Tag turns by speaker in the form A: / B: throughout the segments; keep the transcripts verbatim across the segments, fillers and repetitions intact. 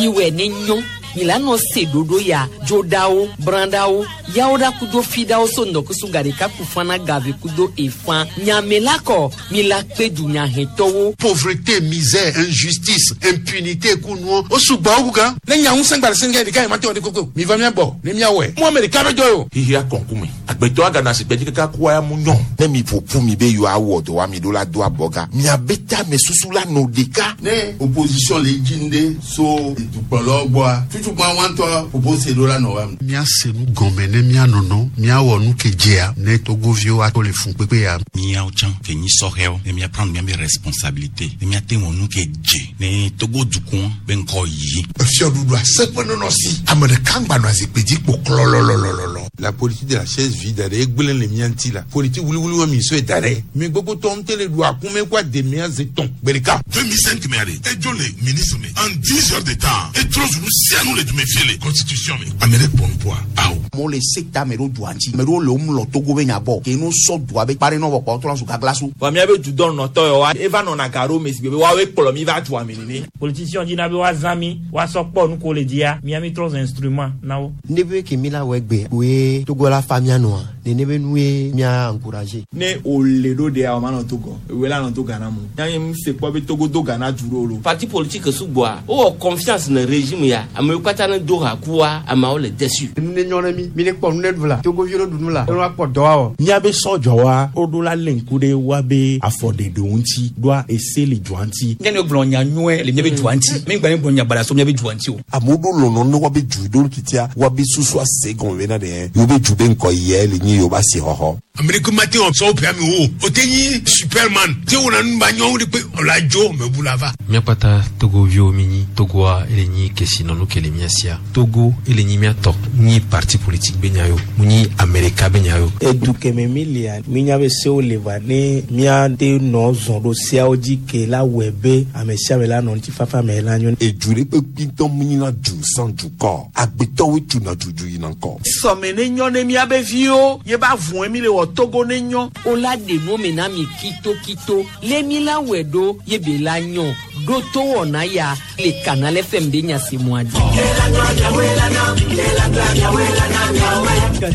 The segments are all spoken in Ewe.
A: Miwɛ ne nyɔ milano se ɖoɖo ya dzoɖawo brãɖawo yawo ɖa kudo fiɖawo so ŋdɔkusu gaɖeka kufana gave kudo efã nyamela kɔ mila kpe dunyahɛtɔwo.
B: Pauvreté, misère, injustice, impunité kunuɔ o sugbɔ wo gan.
C: Ne nya ŋusẽ gba le sɛngɛ ɖeka yi ma te wɔ de koko mi va mia gbɔ ne mia wɔe mu ame ɖeka bɛ jɔ o.
D: Xixia kɔnkume agbetɔ agana si gbɛdzi kaka kua ya mu nyɔ.
E: Ne mi ƒoƒu mi be yewoawɔ dɔ wa mi ɖo la do abɔga miabe tame susu la nɔ ɖeka.
F: Ne opposition le dzi ŋɖe so dukplɔlawo gbɔa tutukpa wɔntɔ propose ɖo la nɔ wa.
B: Míase nu gɔme ne míanɔnɔ míawɔ nu ke dzea ne togoviwo ato le fun kpekpe ya.
G: Míawo tsã ke nyi sɔhɛwo ne míaprendre míabe responsabilité ne míate wɔ nu ke dze ne Togo dukɔ be ŋkɔ yi.
E: Efiɔɖuɖu aseƒe nɔnɔ si ame ɖeka ŋgba nɔ azikpui dzi kpo klɔlɔlɔlɔlɔ.
C: La politique de la chaise vide ɖe egblẽ le mía ŋuti la politique wuliwuli wa mi sɔe da ɖe mi gbogbo tɔ ŋutɛ le ɖu akume kó ademea ze tɔn gbe ɖeka.
H: deux mille cinq mɛ ale edzo le ministre me en dix heures de temps etrɔ zunu sianu le dume fie le constitution me ame ɖe kpɔ nupoa awo.
I: Amewo le sekta me ɖo dua ŋuti ame ɖewo le wo mlɔ Togo be nya gbɔ ke no sɔ dua be kpa ɖe nɔ vɔ kpɔ trɔ zu gagla so.
J: Vɔ míabe dudɔ nɔtɔ yɔ wa eva nɔna ga ɖo me si be woawoe kplɔ mi va dua me nene.
K: Politicien dina be woazã mi woasɔ kpɔ nu ko le dzia mía mi trɔ zu instrument na wo.
L: Ne be ke mi la wɔ egbe woe Togo la fa mia nɔa nene be nu ye mia encourager.
J: Ne o le ɖo ɖea o ma nɔ Togo ewe la nɔ to Ghana mu yanyi mu se kpɔ be Togo do Ghana du ɖo lo.
M: Parti politique sugbɔa wowɔ confiance ne régime ya amewo katã ne do ha kua ameawo le déçu.
L: Nu ne nyɔ ne mi mi ne kpɔ nu ne ɖu la Togoviwo ne ɖu nu la ne woakpɔ dɔ awɔ.
N: Míabe sɔdzɔwa woɖo la lé ŋku ɖe woabe afɔɖeɖewo ŋuti ɖoa ese le dua ŋuti.
O: Nye ne gblɔ nya nyuie le míabe dua ŋuti mi gba ne gblɔ nya baɖa so míabe dua ŋuti o.
E: Amewo ɖo lɔlɔ ne woabe du ɖo titia woabe susu ase gɔme bena ɖe yewo be du be ŋkɔ yɛ le nyi yewo ba si xɔxɔ.
H: Amerika ma te wɔ sɔwɔ ƒe ame wo o te nyi superman te wɔna nu ba nyɔwo de kpe ɔla dzo mɛ bu la va.
P: Míakpata togoviwo mi nyi Togoa ele nyi kesinɔnu ke le mía sia Togo ele nyi míatɔ nyi parti politique be nya yo mu nyi Amerika be nya yo.
Q: Edu kɛmɛ mi lia mi nya be sewo le va ne míate nɔ zɔn ɖo seawo dzi ke la wɔe be ame sia ame la nɔ ŋutifafa me la nyo.
E: Edu ɖe kpekpe ŋutɔ mu nyina du sans dukɔ agbetɔwoe tuna dudu yina ŋkɔ.
J: Sɔme ne nyɔ ne míabe viwo ye ba vɔe mi le wɔ Togo ne nyɔ.
A: O la ɖe nu me na mi kitokito le mi la wɛ ɖo ye be la nyɔ ɖo to wɔna ya le Canal F M be nyasemua dzi.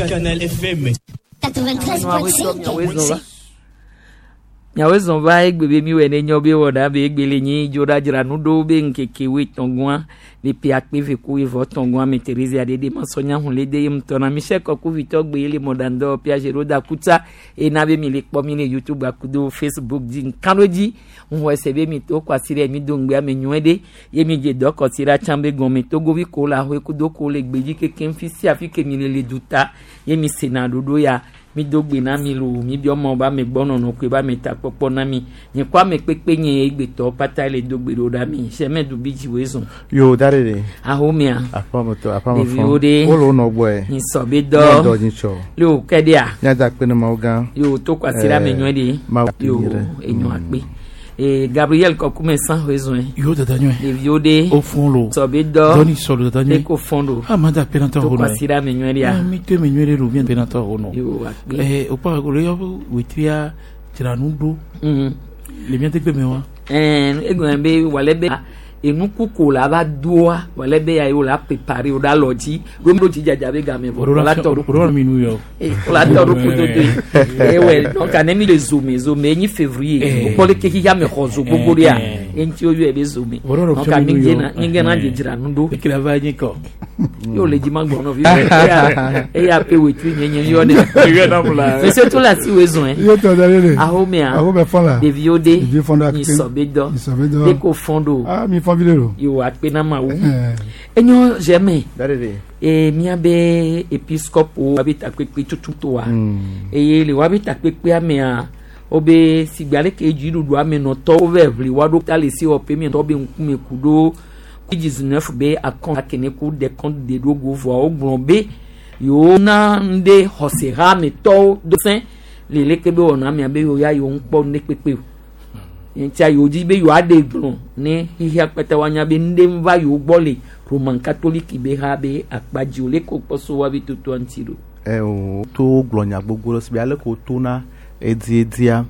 R: Canal F M.
A: quatre-vingt-treize point cinq. Miawoe zɔn va egbe be miwɔe ne nyɔ be wɔna be egbe le nyi dzo ɖa dzra nu ɖo be ŋkeke woe tɔngua le pe akpe ve ku evɔ tɔngua me Teresa ɖe ɖe masɔnya hun le de ye ŋutɔ na Michel Kɔkuvitɔ gbe ye le mɔɖaŋdɔ Piaget ɖo da kutsa ena be mi le kpɔ mi le YouTube akudo Facebook dzi nkan ɖo dzi ŋu ese be mi to kɔ asi ɖe mi do ŋgbe ame nyuie ɖe ye mi dze dɔ kɔ si ɖa tsã be gɔme togovi ko le ahoe kudo ko le gbedzi kekem fi sia fi ke mi le le duta ye mi sena ɖoɖo ya mi do gbe na mi lo mi biɔ mɔ ba ame gbɔ nɔnɔ koe ba ame ta kpɔkpɔ na mi nye kɔ ame kpekpe nye egbetɔ pata le do gbe ɖo ɖa mi sɛmɛ dubi dzi woe zɔn.
S: Yo da de de.
A: Ahomea.
S: Aƒametɔ aƒame.
A: Ɖeviwo ɖe.
S: Wole wo nɔ gbɔe.
A: Nyisɔ be dɔ.
S: Dɔ nyitsɔ.
A: Le o kɛ ɖea.
S: Míada akpe ne Mawu gã.
A: Yo to kɔ asi ɖe ame nyuie ɖe.
S: Mawu
A: yo enyo akpe. Ee Gabriel Kɔkume san woe zɔn.
T: Yo dada nyuie.
A: Ɖeviwo ɖe.
T: O fɔn lo.
A: Sɔ be dɔ.
T: Dɔni sɔ lo dada nyuie.
A: Eko fɔn do.
T: Ah ma da akpe na tɔ
A: To
T: ho
A: kɔ
T: nɔ.
A: asi ɖe ame nyuie ɖea.
T: Mi to ame nyuie ɖe lo mi akpe na tɔ ho nɔ.
A: Yo akpe.
T: Ɛɛ o kpa o le yɔ wetria dzra nu ɖo. Le mía tegbe me wa.
A: Ɛɛ egɔme be wòle be enukuko la va doa wòle be ya ye wòle préparer o ɖe alɔ dzi ɖo mi ɖo dzi dzadza be game vɔ
T: O
A: wòle atɔ
T: ɖo o ɖo mi nu yɔ.
A: wòle atɔ ɖo kudodo ye ewɔ donc ane mi le zome zome enyi février
T: Eh.
A: o kpɔ leke xixia me xɔ zo gbogbo ɖea eŋuti woyɔe be zome
T: O ɖo
A: donc mi gena mi gena dzedzra nu ɖo
T: Ekele va nyi kɔ.
A: Yo le dzi ma gbɔ nɔvi eya eya pe wetui nye nye yɔ ne
T: Yɔ nam la.
A: Monsieur to la si woe zɔn
U: Yo tɔ da de.
A: Ahomea.
U: Ahome fɔn la.
A: Ɖeviwo ɖe.
U: Ɖeviwo fɔn ɖo akpe.
A: Nyisɔ be dɔ.
U: Nyisɔ be dɔ.
A: Ɖe ko fɔn ɖo.
U: Ah mi fɔn vi ɖe lo.
A: Yo akpe na Mawu. Enyo Germain.
S: Da de de.
A: E míabe episcopo wabe takpekpe tututoa eye le wabe takpekpea mea wobe sigbe aleke dziɖuɖu amenɔtɔwo va ʋli wa ɖo ta le sewɔƒe miatɔ be ŋkume ku ɖo dix-neuf be akɔn akene ku des comptes de ɖo go vɔa wogblɔ be yewo na ŋɖe xɔsehametɔwo do sẽ le leke be wɔna mia be yewo ya yewo ŋkpɔ ŋɖe kpekpe o ŋutia yewo dzi be yewoaɖe gblɔ ne xixia kpata woanya be ŋɖe va yewo gbɔ le Roman Catholique be ha be akpa dzi o leke wokpɔ so woabe totoa ŋuti ɖo.
S: Ɛ o to gblɔ nya gbogbo ɖe si be ale ko tona Edziedia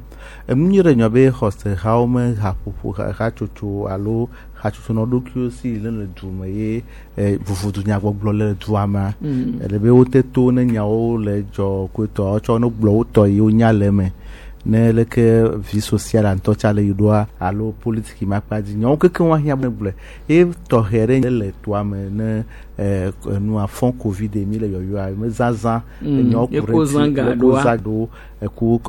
S: enu nyui ɖe nyɔ be xɔsehawo me haƒoƒo ha- hatsotso alo hatsotso nɔ ɖokuiwo si le le du me ye eh, vovodu nyagbɔgblɔ le dua mea
A: Mm.
S: ele be wote to ne nyawo le dzɔ koetɔ wotsɔ ne gblɔ wotɔ yi wonya le eme ne leke vi social ŋutɔ tsa le yi ɖoa alo politiki ma kpa dzi nyawo kekeŋ woahiã be gblɔe ye tɔxɛ ɖe le toa me ne eh, enua fɔn covid mi le yɔyɔa me zazã
A: Mm.
S: enyawo ku
A: Ye
S: ɖe
A: ko
S: ŋuti,
A: zã ga
S: ye ko
A: ɖoa.
S: zã ɖo eku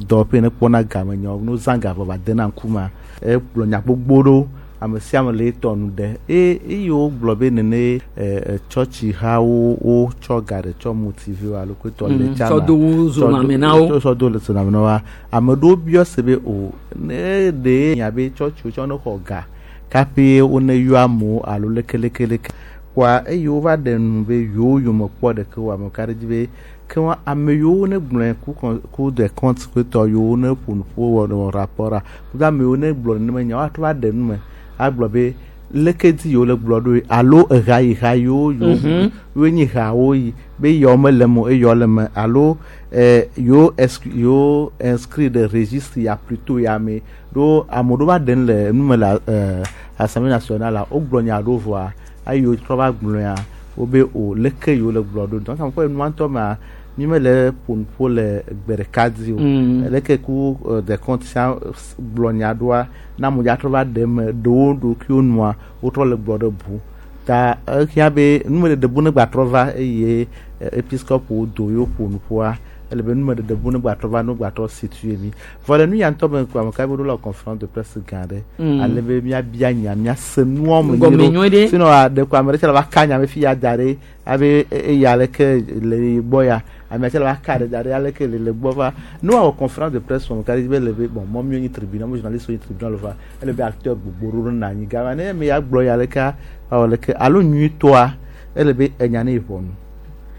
S: dɔwɔƒe ne kpɔna game nyawo no zã ga vɔ va dena ŋkumea egblɔ nya gbogbo ɖewo ame sia ame le etɔ nu ɖe eye eye wogblɔ be nene ɛ tsɔtsi hawo wotsɔ ga ɖe tsɔ motive alo kpetɔ le
A: Mm,
S: tsama
A: tsɔ do wo zoname na wo.
S: tsɔ do le zoname na woa ame ɖewo biɔ se be o ne ɖe nya be tsɔtsiwo tsɔ ne xɔ ga kaƒe wo ne yɔ amewo alo lekelekeleke kɔa eye wova ɖe nu be yewo yome kpɔ ɖeke o ame ka ɖe dzi be ke wa ame yiwo ne gblɔe ku kɔn ku de compte kpetɔ yiwo ne ƒo nu ƒo wɔ wɔ rapport a kudo ame yiwo ne gblɔ nenema nya woatrɔ va ɖe nu me agblɔ be leke dzi yewo le gblɔ ɖo alo eha yi ha yiwo yewo
A: Mhm.
S: yewo nyi hawo yi be yewo mele me o eyewo le me alo eh, yewo exclu yewo inscrit ɖe registre ya plutôt ya me ɖo ame ɖewo va ɖe nu le nu me le eh, assemblée nationale a wogblɔ nya ɖewo vɔa eye wotrɔ va gblɔa wobe o leke yewo le gblɔ ɖo donc ame kpɔ enua ŋutɔ mea mi mele ƒo nu ƒo le gbe ɖeka dzi o
A: Mm.
S: leke ku eh, de compte sia gblɔ nya ɖoa na amewo dza trɔ va ɖe eme ɖewo ɖokuiwo nua wotrɔ le gblɔ ɖe bu ta ehia be numeɖeɖe bu ne gbatrɔ va eye eh, episcope do yewo ƒo nu ƒoa ele be numeɖeɖe bu ne gbatrɔ va ne gbatrɔ situe mi vɔ le nu ya ŋutɔ me ko ame ka be ɖo le conférence de presse gã ɖe
A: Mm.
S: ale be míabia nya míase nuɔ me
A: Gɔme nyuie ɖe.
S: sinon ɖe ko ame ɖe tse le va ka nya be fi ya da ɖe abe eya leke le gbɔ ya ame tse le va ka ɖe da ɖe aleke le le gbɔ va ne woawɔ conférence de presse wɔm ka ɖe be le be bon mɔ míwo nyi tribunal mo journaliste wo nyi tribunal va ele be acteur gbogbo ɖewo nɔ anyi gama ne ame ya gblɔ ya leka awɔ leke alo nyuitɔa ele be enya ne yi ʋɔnu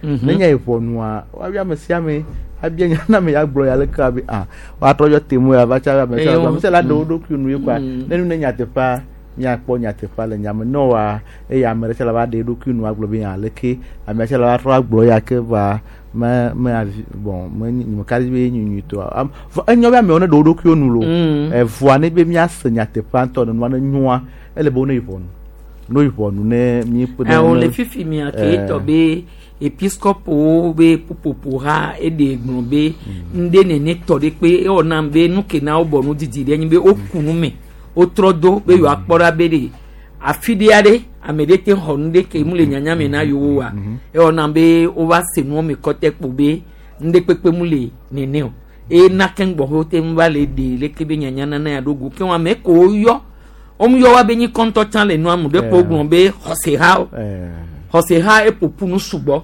A: Mhm.
S: ne nya yi ʋɔnua woabia ame sia ame abia nya na ame ya gblɔ ya leke abe ah woatrɔ yɔ temo ya va tsa ame sia
A: Eyo.
S: ame sia la ɖe wo ɖokui nu ye kɔa
A: Mm.
S: ne nu ne nyateƒea míakpɔ nyateƒea le nyame ne wa eye ame ɖe sia la va ɖe eɖokui nu agblɔ be aleke ame sia la va trɔ agblɔ ya ke va me me avi bon me nyi me ka ɖe be enyi nyuitɔa Am- vɔ enyo be amewo ne ɖe wo ɖokuiwo nu lo
A: Mm.
S: evɔa ne be míase nyateƒea ŋutɔ ne nua ne nyoa ele be wo ne yi ʋɔnu ne yi ʋɔnu ne mi kpe ɖe
A: ɛwɔ
S: ne-
A: le fifi mia ke
S: Eh.
A: tɔ be episcopo be ƒuƒoƒo ha eɖe gblɔ be ŋɖe nene tɔ ɖe kpe ewɔ nam be nu ke na wobɔ nu didi ɖe nyi be woku nu me wotrɔ do be yewoakpɔ ɖa be ɖe afi ɖe aɖe ame ɖe te xɔ nu ɖe ke mu le nyanya me na yewo wa ewɔ nam be wova se nuwo me kɔtɛ kpo be ŋɖe kpekpe mu le nene o eye na keŋ gbɔ wote ŋu va le ɖe leke be nyanya nana ya ɖo go ke wɔn ame ko woyɔ womu yɔ wa be nyi kɔntɔ tsã le nua mu ɖe kpo gblɔ be xɔsehawo xɔseha eƒoƒu nu sugbɔ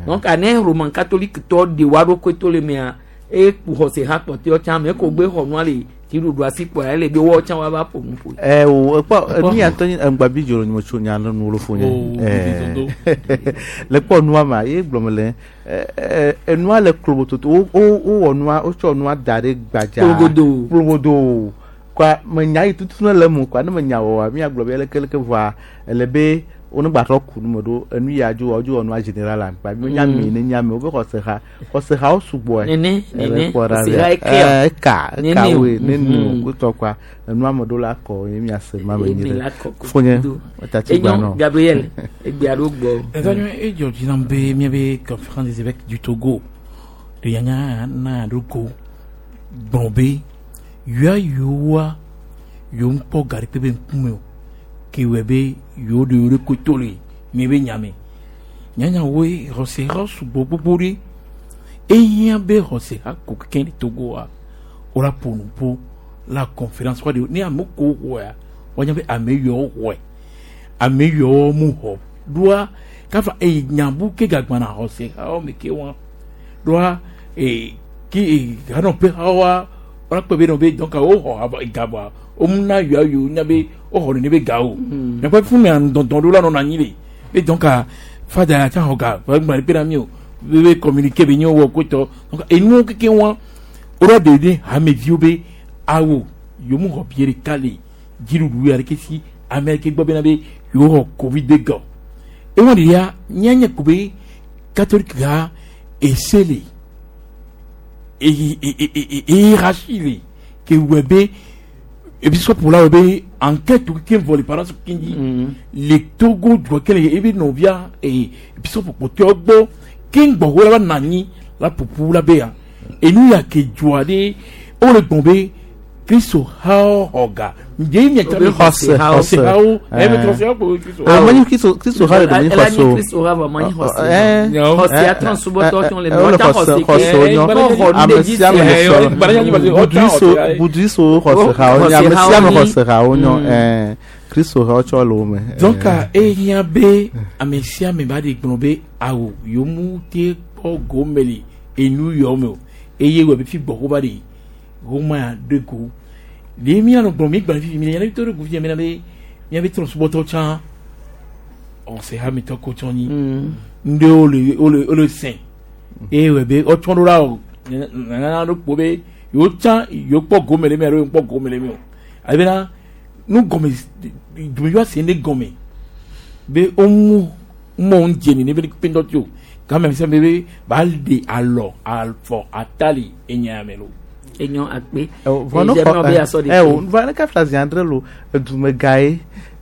A: donc ane roman catholique tɔ ɖe wa ɖokui to le mea eku xɔseha kpɔtɔewo tsã ame ko gbe xɔ nua le dziɖuɖu asi kpɔa ele be woawo tsã woava ƒo nu ƒoe.
S: ɛ o ekpɔ enu ya ŋutɔ nye ŋgbabi dzro nyime tso nya le nu fo nye
T: Oh,
S: Ɛ, le kpɔ nua ma ye gblɔ me le ɛ, ɛ, enua le klobototo wo wo wowɔ nua wotsɔ nua da ɖe gbadza
A: Kplogodo.
S: kplogodo kɔa menya yi tutu ne le eme kɔa ne menya wɔa miagblɔ be lekeleke vɔa ele be wo ne gbatrɔ ku nu me ɖo enu ya dzo wɔ dzo wɔ nua général la kpa mi nya
A: Mm.
S: mi ne nya mi wobe xɔseha xɔsehawo sugbɔe
A: Nene,
S: Ele
A: nene,
S: kpɔ ɖa
A: xɔseha
S: be-
A: ekea.
S: ɛ, eka eka
A: Nene o.
S: woe nene o
A: Mhm.
S: kutɔ kɔa enua me ɖo la kɔ ye miase ma me
A: Eye
S: nyi
A: mi
S: ɖe
A: la kɔ ko
S: fonye
A: do.
S: tatsi gba
A: Enyo
S: nɔ
A: Gabriel egbea ɖo gbɔ.
T: Ɛdɔnyɔ edzɔ dzi nam be míabe conférence des évêques du Togo de yanya na ɖo go gblɔ be yɔa yewoa yewo ŋkpɔ ga ɖekpe be ŋkume o ke wɔe be yewo ɖe yewo ɖokui to le miabe nyame nyanyawoe xɔseha sugbɔ gbogbo ɖe ehiã be xɔseha ko keke le Togoa wola ƒo nu ƒo la conférence wa de ne ame ko xɔa woanya be ame yawo xɔe ame yawo mu xɔ ɖoa kafa eye nyabu ke gagbana xɔsehawo me ke wa ɖoa ee ke ee hanɔƒe hawoa wola kpe be nɔ be donc wo xɔ ava gabɔa womu na yɔa yiwo nya be wo xɔ nene be ga o miakpɔ fún mi dɔndɔn ɖo la nɔna anyi le be donc fada ya tsa xɔ ga gba ɖe pe na mi o be be communiqué be nye wɔ kotɔ donc enuwo keke wa woɖo ɖe ɖe hameviwo be awo yewo mu xɔ bie ɖeka le dziɖuɖu ya ɖeke si ame ɖeke gbɔ bena be yewo xɔ covid be gɔ ewɔn de ya míanye ko be catholique ha ese le hiérarchie le ke wɔ be episcope la wɔ be enquête ke vɔ le paroisse keŋ le Togo dua ke le ebe nɔvia episcope kpɔtɔewo gbɔ keŋ gbɔwɔ la va nɔ anyi la ƒoƒu la be ya enu ya ke dzoa ɖe wole gbɔn be Kristo hawo xɔ ga ndie mi
A: Obe xɔse hawo.
T: xɔse hawo ebe xɔse hawo kpo Kristo
S: Ah, menye Kristo Kristo ha le ɖe menye
A: Ela
S: xɔse
A: nyi
S: o.
A: Kristo ha vɔ menye xɔse.
S: Eh,
A: Xɔse
S: eh,
A: atrɔ subɔtɔ
S: eh,
A: tsɔ le
S: eh,
A: mɛ,
S: wole
A: wotsa
S: xɔse
A: xɔse
S: xɔse
A: ke,
S: wonyɔ.
A: ne xɔ nu
S: Ame
A: ɖe dzi
S: sia ame
A: se.
S: le sɔlɔ. Buduiso buduiso xɔse hawo nyɔ. Ame sia ame xɔse hawo nyɔ. Eh, Kristo hawo tsɔ le wo me.
T: donc ehiã be ame sia ame ba de gblɔ be awo yomu te kpɔ gome le enu yɔ me o eye wɔ be fi gbɔ ko ba de goma ya de go de mi anɔ gblɔ mi gblɔ fifi mi le yɛrɛ to de go fi mi na be mia be trɔ subɔtɔ tsã ɔsɛ hametɔ ko tsɔ nyi ŋɖewo le wole wole sɛn eye wɔ be ɔtsɔ ɖo la o nana ɖo kpo be yewo tsã yewo kpɔ gome le mi alo yewo kpɔ gome le mi o alebena nu gɔme dumeviwa se ne gɔme be womu mɔ ŋu dze ne be kpendɔ tso game mi sɛ be be ba ɖe alɔ afɔ atali enya me lo.
A: Enyo akpe.
S: Vɔ ne
A: Eye
S: xɔ
A: be asɔ ɖe
S: eh,
A: ke.
S: o vɔ ne kafla zi andre lo edumega ye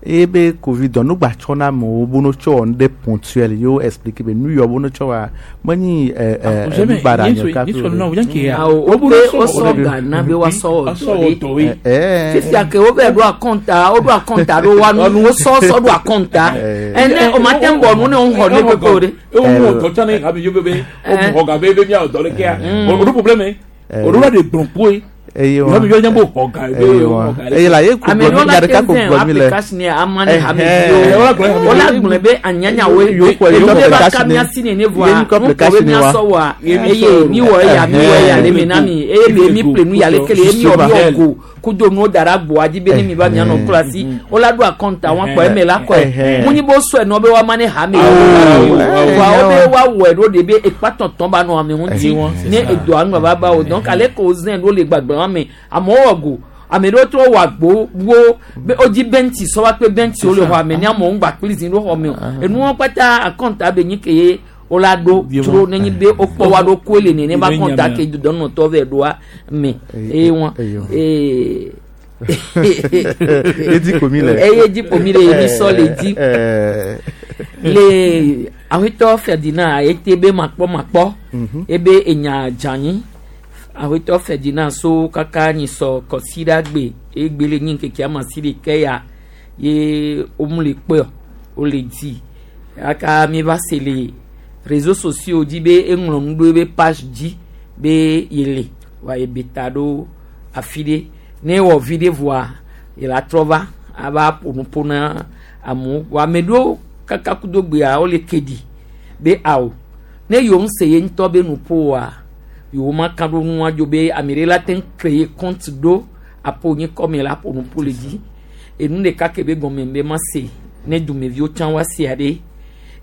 S: eye be covid dɔ nugba tsɔ na amewo bo no tsɔ wɔ nu ɖe ponctuel ye wo explique be nu yɔ bo no tsɔ wa menyi ɛ ɛ nubaɖa nye kafi o ɖe.
A: Awo wo be wosɔ ga na be woasɔ wɔ dɔ ɖe.
S: Eh,
A: Fifia ke wo be ɖo akɔnta wo ɖo akɔnta ɖo wa nu wosɔ sɔ ɖo akɔnta. Ene o ma te ŋbɔ nu ne wo xɔ ne kpekpe o ɖe.
T: Ewo mu dɔ tsã ne habe yo be be wo mu xɔ ga be be mia dɔ ɖe kea o ɖo problème o ɖo la de gblɔ kpoe.
S: eye wa
T: Habe yo nya bo xɔ ga be
S: eye
T: wo
S: wa
T: xɔ ga
S: eye la ye ko
A: Ame
S: gblɔ
A: ɖewo
S: mi
A: la
S: nya ɖeka
A: te
S: ko
A: zɛn
S: gblɔ mi le
A: application yɛ ama ne
S: Eh,
A: hameviwo.
S: eh.
A: Wola gblɔe be anyanyawoe.
S: Yewo kɔ- yewo
A: Enu
S: kɔ
A: be va ka
S: application
A: mía
S: ne.
A: si nene vɔa
S: Ye mi kɔ
A: nu kɔ be
S: application ne
A: mía
S: wa.
A: sɔ wa
S: Ye mi
A: eye
S: sɔ
A: mi wɔ eya mi wɔ eya le mi na mi eye mi mi ƒle nu ya leke le ye mi wɔ mi wɔ go kudo nuwo da ɖe agboa dzi be ne mi va mia nɔ klo asi wola ɖo akɔnta wɔn kɔ eme la kɔe munyi bo sɔe nɔ be woama ne hame vɔa wo be woawɔe ɖo de be ekpatɔtɔ ba nɔ ame ŋuti ne edoa nu va ba o donc ale ko zɛn ɖo le gbagbe wa me amewo wɔ go ame ɖewo trɔ wɔ agbo wo be wodzi bɛnti sɔ wa kpe bɛnti wo le xɔ ame ne amewo ŋgba kpli zi ɖo xɔ me o enuwo kpata akɔnta be nyi ke ye wola ɖo tro nenyi be wokpɔ wa ɖo koe le nene ba kɔnta ke dɔnɔtɔ vɛ ɖoa me eye wɔn ee
S: Edi komi le.
A: eye dzi komi le mi sɔ le dzi
S: Eh,
A: le awetɔ Ferdinand ete be makpɔ makpɔ
S: Mhm.
A: ebe enya dzanyi awetɔ Ferdinand so kaka nyi sɔ kɔsi ɖa gbe egbe le nyi ŋkeke ama si ɖeke ya ye womu le kpɔe wole di aka mi va se le réseaux sociaux dzi be eŋlɔ nu ɖo ebe page dzi be yele wa ebe ta ɖo afi ɖe ne ewɔ vi ɖe vɔa yele trɔ va ava ƒo nuƒo na amewo vɔ ame ɖewo kaka kudo gbea wole ke ɖi be awo ne yewo ŋu se ye ŋutɔ be nuƒo oa yewo ma ka ɖo nua dzo be ame ɖe la te ŋu créer compte ɖo aƒo nye kɔme la ƒo nuƒo le dzi enu ɖeka ke be gɔme be ma se ne dumeviwo tsã wa sea ɖe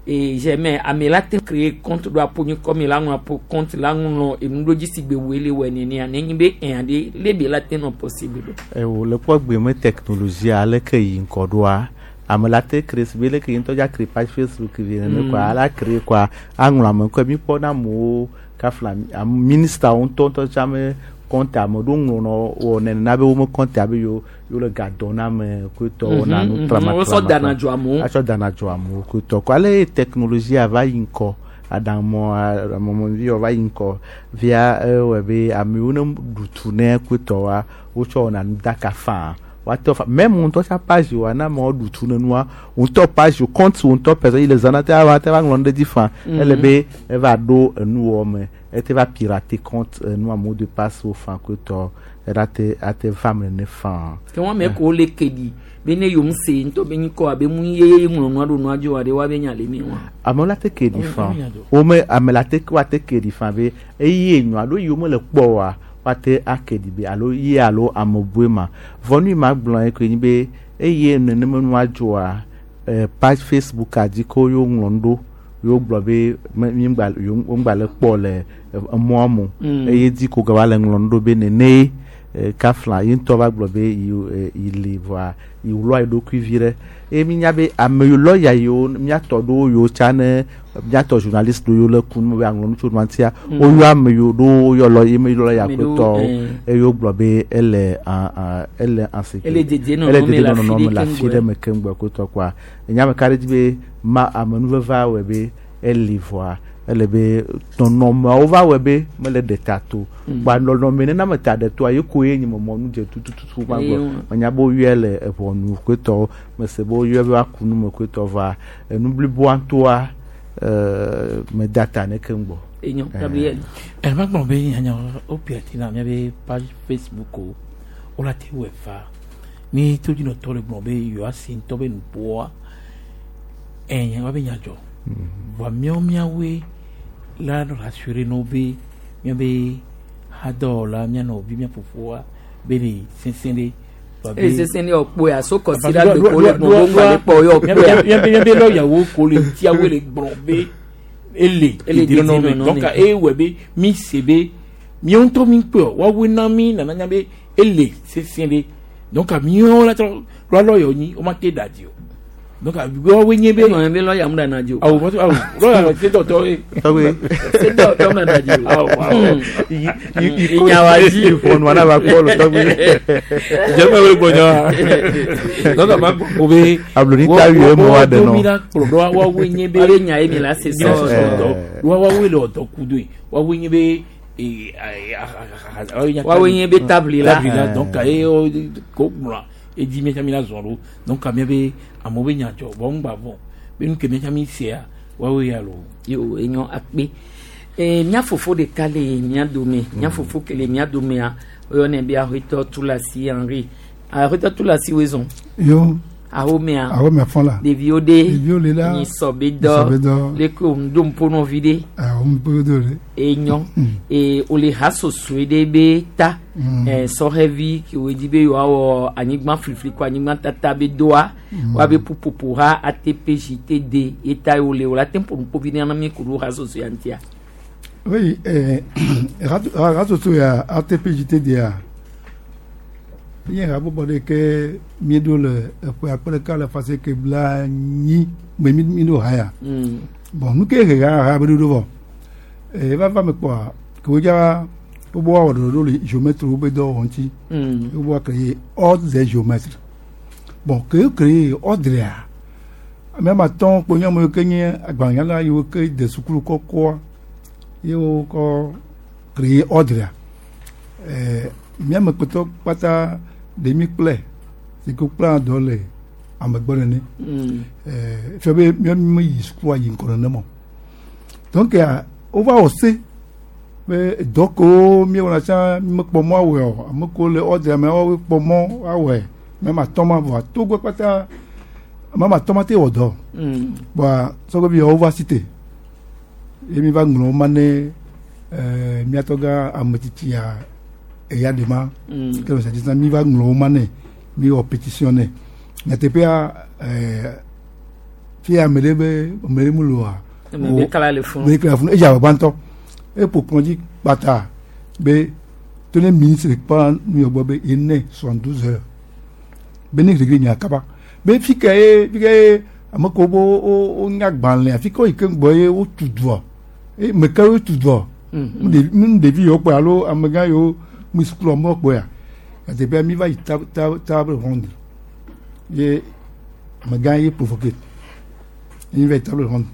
A: ee jamais ame la te créer compte ɖo aƒo nye kɔme la ŋlɔ aƒo compte la ŋlɔ enu ɖo dzi si gbe woe le wɔ nenea nenye be ɛ̃a ɖe le be la te nɔ possible ɖo.
S: Ewo le kpɔ gbe me technologie aleke yi ŋkɔ ɖoa ame la te créer si be leke yi ŋutɔ dza créer page Facebook vi nene
A: Mm.
S: kɔa ala créer kɔa aŋlɔ ame ŋkɔe mi kpɔ na amewo kafla am ministre ŋutɔ ŋutɔ tsã me compte ame ɖewo ŋlɔnɔ wɔ nenena be wo me compte abe yewo yewo le ga dɔn na ame koetɔ wɔna nu
A: Mhm, mhm.
S: trama
A: Wosɔ dana dzo amewo.
S: atsɔ dana dzo amewo koetɔ kɔ ale ye technologie va yi ŋkɔ aɖaŋumɔ aɖaŋumɔvi va yi ŋkɔ via ewɔe be amewo ne ɖu tu ne koetɔ wa wotsɔ wɔna nu daka faa woate fa même ŋutɔ tsa page wa na amewo ɖu tu ne nua ŋutɔ page o compte ŋutɔ personne yi le zãna te ava te va ŋlɔ nu ɖe dzi faa
A: Mhm.
S: ele be eva ɖo enuwɔ me ete va pirater compte enua mot de passe wo faa koetɔ eɖa te ate va me nene faa.
A: ke wɔn ame ko le ke ɖi be ne yewo ŋu se ŋutɔ be nyikɔ abe mu ye ŋlɔ nua ɖo nua dzi wa ɖe wa be nya le mi wa.
S: amewo la te ke ɖi fã wome ame la te woate ke ɖi fã be eye enyo alo yiwo mele kpɔ oa woate ake ɖi be alo ye alo ame bue ma vɔ nu yi ma gblɔ ye koe nyi be eye nenema nua dzɔa eh, page Facebook a dzi ko yewo ŋlɔ nu ɖo yewo gblɔ be me mi ŋgba yewo ŋgba le kpɔ le eh, emɔa me o
A: Mm.
S: eye dzi ko gava le ŋlɔ nu ɖo be nene eh, kafla ye ŋutɔ va gblɔ be yi eh, yi li vɔa yi wlɔ yi ɖokui vi ɖe eye mi nya be ame yiwo lɔya yiwo miatɔ ɖewo yiwo tsa ne miatɔ journaliste ɖewo yiwo le ku nu be aŋlɔ nu tso nua ŋutia
A: Mm.
S: woyɔ ame yiwo ɖewo woyɔ lɔ ye me lɔya
A: Ame ɖewo,
S: kpetɔwo
A: eh.
S: eye wogblɔ be ele ah, ah, ele en sécurité
A: Ele dedienɔnɔ
S: ele
A: me le afi
S: dedienɔnɔ me le
A: ɖe
S: afi
A: keŋ
S: ɖe me keŋ gbɔ kpetɔ kɔa enya me ka ɖe dzi be ma amenuveve wɔe be eli vɔa ele be nɔnɔmeawo va wɔe be mele ɖe ta to
A: Mm.
S: kpa nɔnɔme nena me ta ɖe toa ye koe nye me mɔ nu dze tututu ma
A: Eye
S: gblɔ
A: wo-
S: menya be woyɔe le eʋɔnu kpetɔwo mese be woyɔe be woaku nu me kpetɔ vɔa enu bliboa ŋutɔa ɛɛ meda ta ne keŋ gbɔ.
A: Enyo, Gabriel.
T: ɛnɛ gblɔ be nyanya o piati na miabe page Facebook o o la te wɔ fa ni todzinɔtɔ le gblɔ be yewoa se ŋutɔ be nuƒoa ɛnyɛ wa be nya dzɔ vɔa miawo miawoe la rassurer no be miabe hadɔwɔla mia nɔvi mia fofoa be le sesẽ ɖe vɔa be-
A: Ele sesẽ ɖe ɔkpoe aso kɔsi
T: Parce
A: ɖa
T: que
A: gbe ko le
T: ɖo-
A: gbɔn bo ŋgba le kpɔ yɔ
T: miabe
A: ɔkpoea.
T: miabe miabe lɔyawo ko le tiawoe le gblɔ be ele
A: Ele
T: dedienɔnɔ me
A: dedienɔnɔ
T: donc
A: me.
T: eye wɔ be mi se be miawo ŋutɔ mi kpɔe woawoe na mi nana nya be ele sesẽ ɖe donc miawo la trɔ lɔ lɔyawo nyi wo ma te da dzi o donc woawoe nye be
A: Egɔme be lɔya mu ɖana dzi o.
T: awo awo lɔya sedɔtɔ ye
S: Tɔgbe.
A: Sedɔtɔ mu ɖana dzi o.
T: Awo, awo.
A: Ìyàwó dzi.
S: ʋɔnua na va kpɔ le tɔgbe.
T: jɛmɛ wele gbɔnya wa donc a ma gbɔ ko be
S: Abloni ta yue mo wa de
T: mi
S: nɔ.
T: la kplɔ ɖo woawoe nye be
A: Woabe nya ye mi la se
T: mi la se
A: sɔ.
T: sɔ dɔ wa woawoe le ɔdɔ ku do ye woawoe nye be ee, a- a- a- a-
A: Woawoe nye be tabli la.
T: tabli la donc eye wo ko gblɔa edi miatsa mi la zɔn ɖo donc mia be amewo be nya dzɔ vɔ ŋgba vɔ be nu ke miatsa mi sea woawoe ya lo.
A: Yo enyo akpe. Eh, mía fofo ɖeka le mía dome. Mía fofo ke le mía domea, woyɔnɛ be Aƒetɔ Tulasi Henri. Aƒetɔ Tulasi woe zɔn.
U: Yo.
A: Ahomea.
U: Ahomea fɔn la.
A: Ɖeviwo ɖe.
U: Ɖeviwo le la.
A: Nyisɔ be
U: Nyisɔ be
A: dɔ.
U: dɔ.
A: Leke wòŋdo ŋpo nɔvi ɖe.
U: Awo ŋpo do ɖe.
A: Enyo. E wòle hasosoe ɖe be ta.
U: Mm.
A: Eh, sɔhɛvi kewoe di be yewoawɔ anyigba flifli ko anyigba tata be doa.
U: Mm.
A: Woabe ƒuƒoƒo ha ATPJTD ye ta ye wòle wòle ate ŋu ƒo nuƒo vi ɖe na mi ku ɖo hasosoe ya ŋutia.
U: Oui, eh, rasoso ya ATPJTD ya nye habɔbɔ ɖe ke míeɖo le eƒe akpe ɖeka le fase ke bla nyi me mi mi ɖo ha ya.
A: Mm.
U: Bon, nu ke he ha ha be ɖoɖo vɔ. Eh, va va me kpɔa, ke wodza wobe woawɔ ɖoɖo le géomètre wo be dɔwɔwɔ ŋuti.
A: Mm.
U: Wobe woa créer ordre des géomètres. Bon, ke wo créer ordre ya, ame ame atɔ̃ kpo nye ame yiwo ke nye agbalẽnyala yiwo ke de sukulu kɔkɔa ye wokɔ créer ordre ya. Eh, míame kpetɔ kpata ɖe mi kplɛ si ke wokplana dɔ le amegbɔ nene.
A: Mm.
U: Eh, fia be míawo mi yi sukua yi ŋgɔ nenema o. Donc ya wova wɔ se be dɔ kewo míewɔna tsã mímekpɔ mɔ awɔe o ame kewo le ordre me woawoe kpɔ mɔ awɔe ame atɔ̃ ma vɔa togo kpata ame atɔ̃ ma te wɔ dɔ.
A: Mm.
U: Bɔa sɔgɔvi wova si te ye mi va ŋlɔ ma ne ɛɛ miatɔ gã ametsitsia eya de ma
A: Mm.
U: ke le sɛ mi va ŋlɔ ma ne mi wɔ pétition ne nyateƒea ɛɛ fia ame ɖe be ame ɖe mu loa
A: Ame be kala le funu.
U: ame ɖe kala le funu edze agbagba ŋutɔ eƒo kplɔ dzi kpata be to ne ministre kpɔ nu yɔ gbɔ be ene soixante douze heures be ne gregre nya kaba be fi ke ye fi ke ye ame kewo be wo wo nya gbalẽ fi ke wo yi ke gbɔ ye wotu dua eye me ke wotu dua
A: Mhm.
U: nu ɖevi nu ɖevi yiwo kpɔe alo amegã yiwo mu sukulu me kpɔea nyateƒea mi va yi table table table ronde ye amegã ye provoqué ye mi va yi table ronde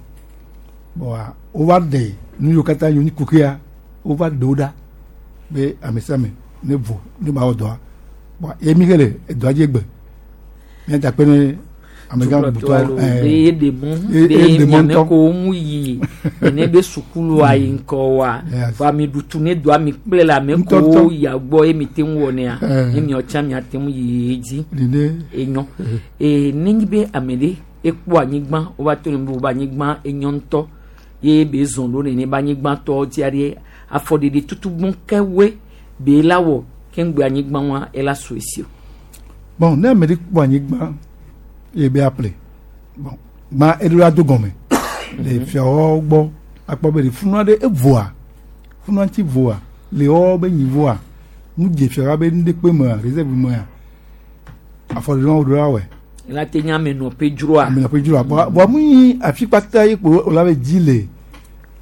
U: bon wova ɖe nu yiwo katã yiwo nyi kuxia wova ɖe wo ɖa be ame sia ame ne vo ne ba wɔ dɔa bon ye mi xe le edɔa dzi egbe míata kpe ne amegã butɔ
A: alo be ye ɖe mɔ be miame ko ŋu yi ene be sukulua yi ŋkɔ wa vɔ ame ɖutu ne do ame kple le ame ko ya gbɔ ye mi te ŋu wɔnɛa
U: Eh.
A: ye miɔ tsã miate ŋu yi edzi
U: Nene.
A: enyɔ ee nenye be ame ɖe ekpɔ anyigba wova to ne be wobe anyigba enyɔ ŋutɔ ye be zɔn ɖo nene be anyigba tɔ dzia ɖe afɔɖeɖe tutu gbɔn kewoe be la wɔ keŋgbe anyigba wa ela so esi o.
U: bon ne ame ɖe kpɔ anyigba ye be aple bon gbã eɖo la do gɔme le fiawo gbɔ akpɔ be ɖe funua ɖe evoa funua ŋuti voa le wɔwɔ be nyi voa Mu dze fiaga be nu ɖe kpe mea réserve mea afɔɖeɖe wo ɖo la wɔe.
A: La te nye amenɔƒe dzroa.
U: Amenɔƒe dzroa bɔn bɔn mu yi afi kpata yi kpo o la be dzi le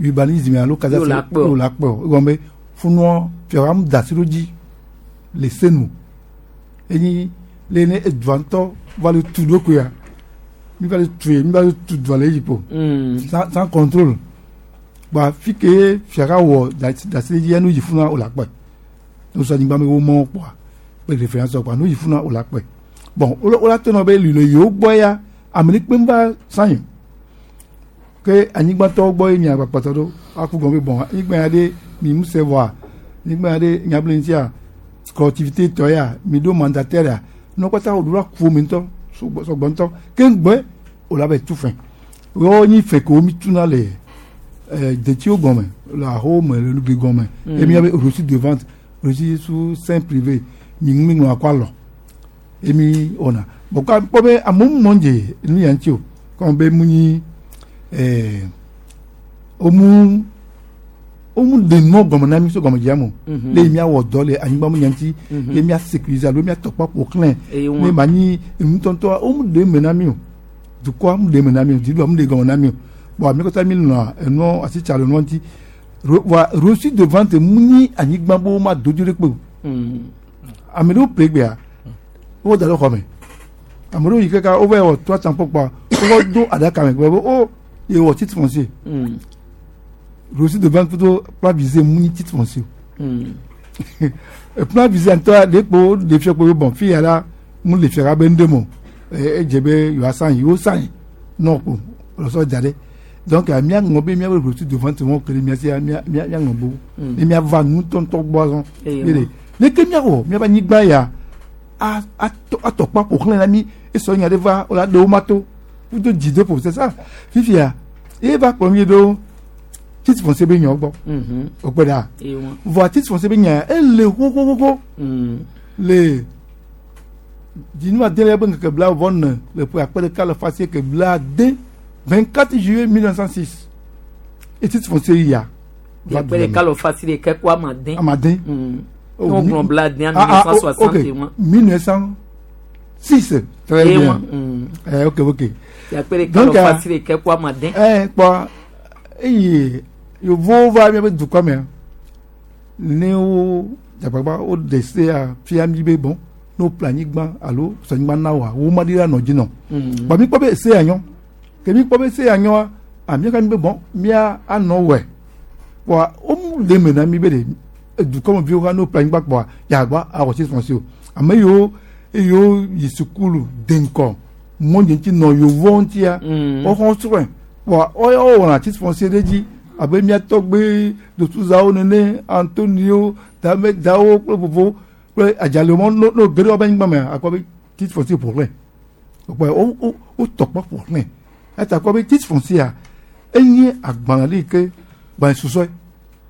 U: urbanisme alo cadastre
A: Yóò la kpɔ.
U: yóò la kpɔ egɔme be funua fiaga mu da asi ɖo dzi le senu enyi le ne edua ŋutɔ va le tu ɖokuia mi va le tu ye mi va le tu dua le edzi kpo
A: Mm.
U: sans sans contrôle bon afi ke fiaga wɔ da da asi ɖe dzi nu yi funua o la kpɔe ne wosɔ anyigba me wo mɔ kpɔa kple référence kpɔa nu yi funua o la kpɔe bon wo la to nɔ be le yewo gbɔ ya ame ɖe kpe va san ke anyigbatɔwo gbɔ ye mia gbakpɔtɔ ɖo aku gɔme be bon anyigba ya ɖe mi ŋu se vɔa anyigba ya ɖe nyabli ŋutia collectivité tɔ ya mi ɖo mandataire ya nɔ kpata wo ɖo la ku mi ŋutɔ sɔgbɔ sɔgbɔ ŋutɔ keŋgbɛ o la bɛ tu fɛ wɔwɔ nyi fɛ ko mi tuna le ɛɛ detiwo gɔmɛ le ahowo me le nugli gɔmɛ
A: Mm.
U: emi abe reçu de vente reçu sous seing privé mi ŋu mi ŋlɔ akɔ alɔ emi wɔna bon ka kpɔ be amewo mɔ dze nu ya ŋuti o kɔn be mu nyi ɛɛ womu womu de nua gɔmɛ na mi so gɔmɛ dzia mo
A: Mhm.
U: le miawɔ dɔ le anyigba mu nya ŋuti
A: Mhm.
U: le mia sécuriser alo mia tɔkpa ƒo xlẽ
A: Eye
U: ne
A: wɔn.
U: ma nyi ŋutɔŋutɔ womu de eme na mi o dukɔa mu de eme na mi o dziɖuɖua mu de gɔmɛ na mi o bon ame kɔta mi nɔ enua asitsa le nua ŋuti Ro- wa reçu de vente mu nyi anyigba bo ma dodo ɖe kpe o
A: Mm.
U: ame ɖewo ƒle gbea wo da ɖe xɔ me ame ɖewo yi kaka wova wɔ trois cent kpɔkpɔa wova do aɖaka me gblɔ be o ye wɔ titre foncier
A: Mm.
U: reçu de vente plutôt plan visé mu nyi titre foncier
A: Mm.
U: o plan visé ŋutɔ ɖe kpo ɖe fia kpo be bon fi ya la mu le fia be ŋɖe mo ɛ edze be yewoa san yi wo san yi nɔ kpo lɔsɔ da ɖe donc mía ŋlɔ be míabe reçu de vente wɔn kele mía sia mía mía mía ŋlɔ bo
A: Mm.
U: ne míava ŋutɔŋutɔ gbɔ azɔ
A: Eye
U: mi le leke míawɔ míabe anyigba ya a atɔ atɔkpa ƒo xlẽ na mí esɔ nya ɖe va wòle aɖewo ma to kudo dzideƒo c'est ça fifia ye va kplɔ mi ɖo titre foncier be nyawo gbɔ
A: Mhm.
U: o kpe ɖa
A: Eye wɔn.
U: vɔa titre foncier be nya ya ele xoxoxoxo
A: Mm.
U: le dzinu adelia be ŋkeke bla vɔ ne le ƒe akpe ɖeka le fa asieke bla ade vingt quatre juillet mille neuf cent six et titre foncier ya va
A: Akpe ɖeka le fa asiɖeke kó amaden.
U: amaden.
A: Mm.
U: Oh,
A: Ne wogblɔ
U: mi-
A: bla ade en
U: Ah, ah,
A: mille neuf cent soixante et
U: ok.
A: un.
U: mille neuf cent six très
A: Eye
U: bien
A: wɔn. Mm.
U: eh, ok ok
A: Akpe ɖeka
U: Donc,
A: le fa
U: ah,
A: asiɖeke kó amaden.
U: eh, kpɔ eye yevuwo va míaƒe dukɔ mea ne wo dzagbagba wo de sea fia mi be bon ne wo ƒle anyigba alo sɔ anyigba na woa wo ma ɖi la nɔ dzi nɔ
A: Mm.
U: bɔn mi kpɔ be sea nyɔ ke mi kpɔ be sea nyɔa a mi ka mi be bon mía anɔ wɔe wa wo mu le eme na mi be de dukɔmeviwo hã ne wo ƒle anyigba kpɔa yagba awɔ titre foncier o ame yiwo eyiwo yi sukulu de ŋkɔ mɔdzi ŋuti nɔ yevuwo ŋutia
A: Mm.
U: woxɔ srɔ̃e wa woya wɔna titre foncier ɖe dzi abe mía tɔgbe dotuzawo nene antonio damedawo kple vovowo kple adzalewo no no ge ɖe woƒe anyigba mea akpɔ be titre foncier ƒo xlẽ kpɔ wo wo wotɔ kpɔ ƒo xlẽ eya kpɔ be titre foncier enye agbalẽ ɖe yi ke gbalẽ susɔe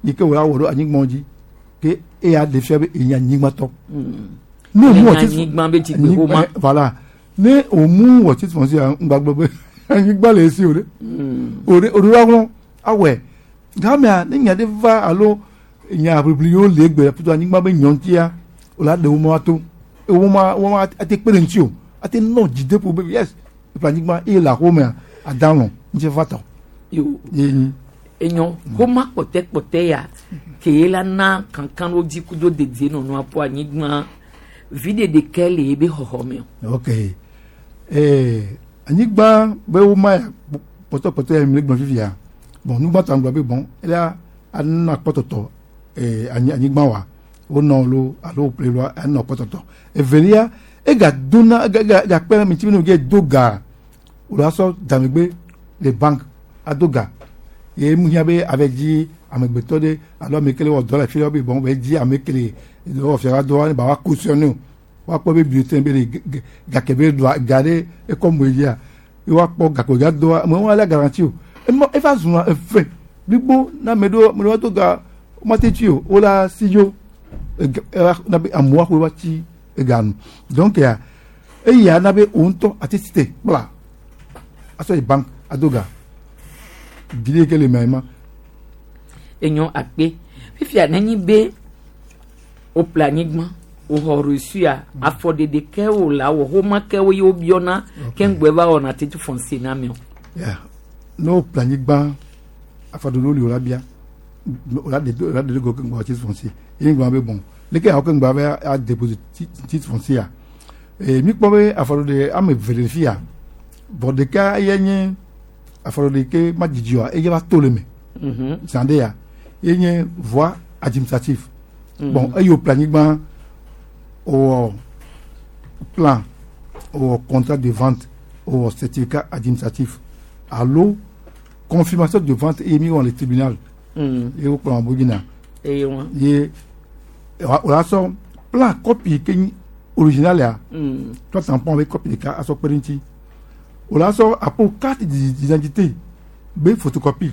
U: yi ke wòle awɔ ɖo anyigba dzi ke eya ɖe fia be enye anyigbatɔ
A: Mm.
U: ne o mu
A: Enye
U: wɔ titre
A: anyigba be dzigbe xoma.
U: anyigba- voilà ne o mu wɔ titre foncier ŋgbagblɔ be anyigba le esi o ɖe
A: Mm.
U: o ɖe o ɖo la ŋlɔ awɔe gamea ne nya ɖe va alo nya ʋiʋli yiwo le egbe plutôt anyigba be nyɔ ŋutia o la ɖe wo ma to wo ma wo ma ate kpe ɖe ŋuti o ate nɔ dzideƒo be yes eƒe anyigba eye le axomea adalɔ ŋuti va tɔ
A: Yo.
U: ye nyi.
A: Enyo xoma kpɔtɛkpɔtɛ ya ke ye la na kankan ɖo dzi kudo dedienɔnɔ aƒo anyigba viɖe ɖeke le ebe xɔxɔ me o.
U: ok ee anyigba be wo ma ya kpɔtɔkpɔtɔ ya mi le gblɔ fifia bon nugbãtɔ gblɔ be bon eya anɔ akpɔtɔtɔ ee anyi anyigba wa wonɔ lo alo woƒle lo anɔ kpɔtɔtɔ evelia egadona ega ega egakpe ɖe ame ŋuti be ne wòge do ga wòle asɔ damegbe le bank ado ga ye mu hiã be ave dzi amegbetɔ ɖe alo ame ke le wɔ dɔ le fi ɖe be bon be dzi ame ke le wɔ fia la dɔ ne ba wa cautionner o woakpɔ be bulletin be le gake be doa ga ɖe ekɔ mo dzia ye woakpɔ gake ga doa ame wɔn la garantie o ema eva zuna efe blibo na ame ɖewo ame ɖewo do ga womate tsi o wola si dzo ega eva na be amewo axɔe va tsi ega nu donc ya eya na be wo ŋutɔ ate si te kpla asɔ yi bank ado ga gidi ke le mea ma.
A: Enyo akpe fifia nenyi be Woƒle anyigba woxɔ reçu-a afɔɖeɖe ke wo la wɔ xɔma ke wo ye wobiɔna ke ŋgbɛ va wɔna titre foncier na mi o.
U: Yeah. Ne woƒle anyigba afɔɖeɖewo li wo la bia wo la ɖe wo la ɖe ɖe go ke ŋgbɛ titre foncier ye ŋgbɛ be bon leke awɔ ke ŋgbɛ be a déposer titre foncier a ee mi kpɔ be afɔɖeɖe ame eve le fi ya vɔ ɖeka ye nye afɔɖeɖe ke ma dzidzi oa eye va to le me zã ɖe ya ye nye voie administrative
A: Mhm.
U: bon eye wòƒle anyigba wòwɔ plan wòwɔ contrat de vente wòwɔ certificat administratif alo confirmation de vente eye mi wɔ le tribunal
A: Mm.
U: ye wokplɔ abo yina
A: eye wa.
U: ye wòla sɔ plan copie ke nyi original ya
A: Mm.
U: trois tampons avec copie ɖeka asɔ kpe ɖe ŋuti wòla sɔ apo carte d'identité be photocopie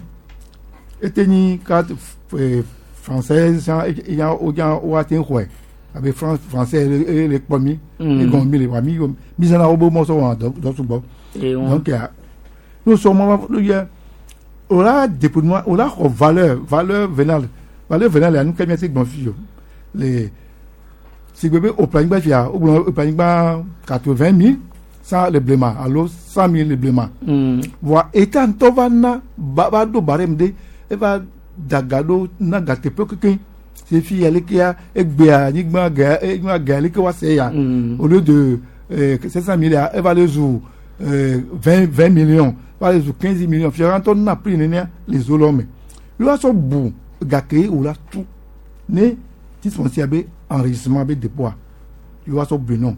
U: ete nyi carte eh, française san eya woya woate xɔe abe France français eye le kpɔ mi
A: Mm.
U: egɔme mi le wa mi mi zãna wo be mɔ sɔ wɔna dɔ dɔ sugbɔ
A: Eye wa.
U: donc ya n'o sɔ mɔ va yɛ wòla dépouillement wòla xɔ valeur valeur vénale valeur vénale ya nu ke miate gbɔn fi o le sigbe be wòƒle anyigba fia wogblɔ wòƒle anyigba quatre vingt mille sans le blema alo cent mille le blema
A: Mm.
U: voa état ŋutɔ va na ba va ɖo barème ɖe eva da ga ɖo na ga teƒe kekeŋ si fi ya lekea egbea anyigba ga anyigba ga leke wa se ya au lieu de cinq cent mille ya eva le zu vingt vingt millions va le zu quinze millions fia ŋutɔ na prix nenea le zo lɔ me yóò sɔ bu gake wò la tu ne titre foncier be enregistrement be dépôt yóò sɔ bu nɔ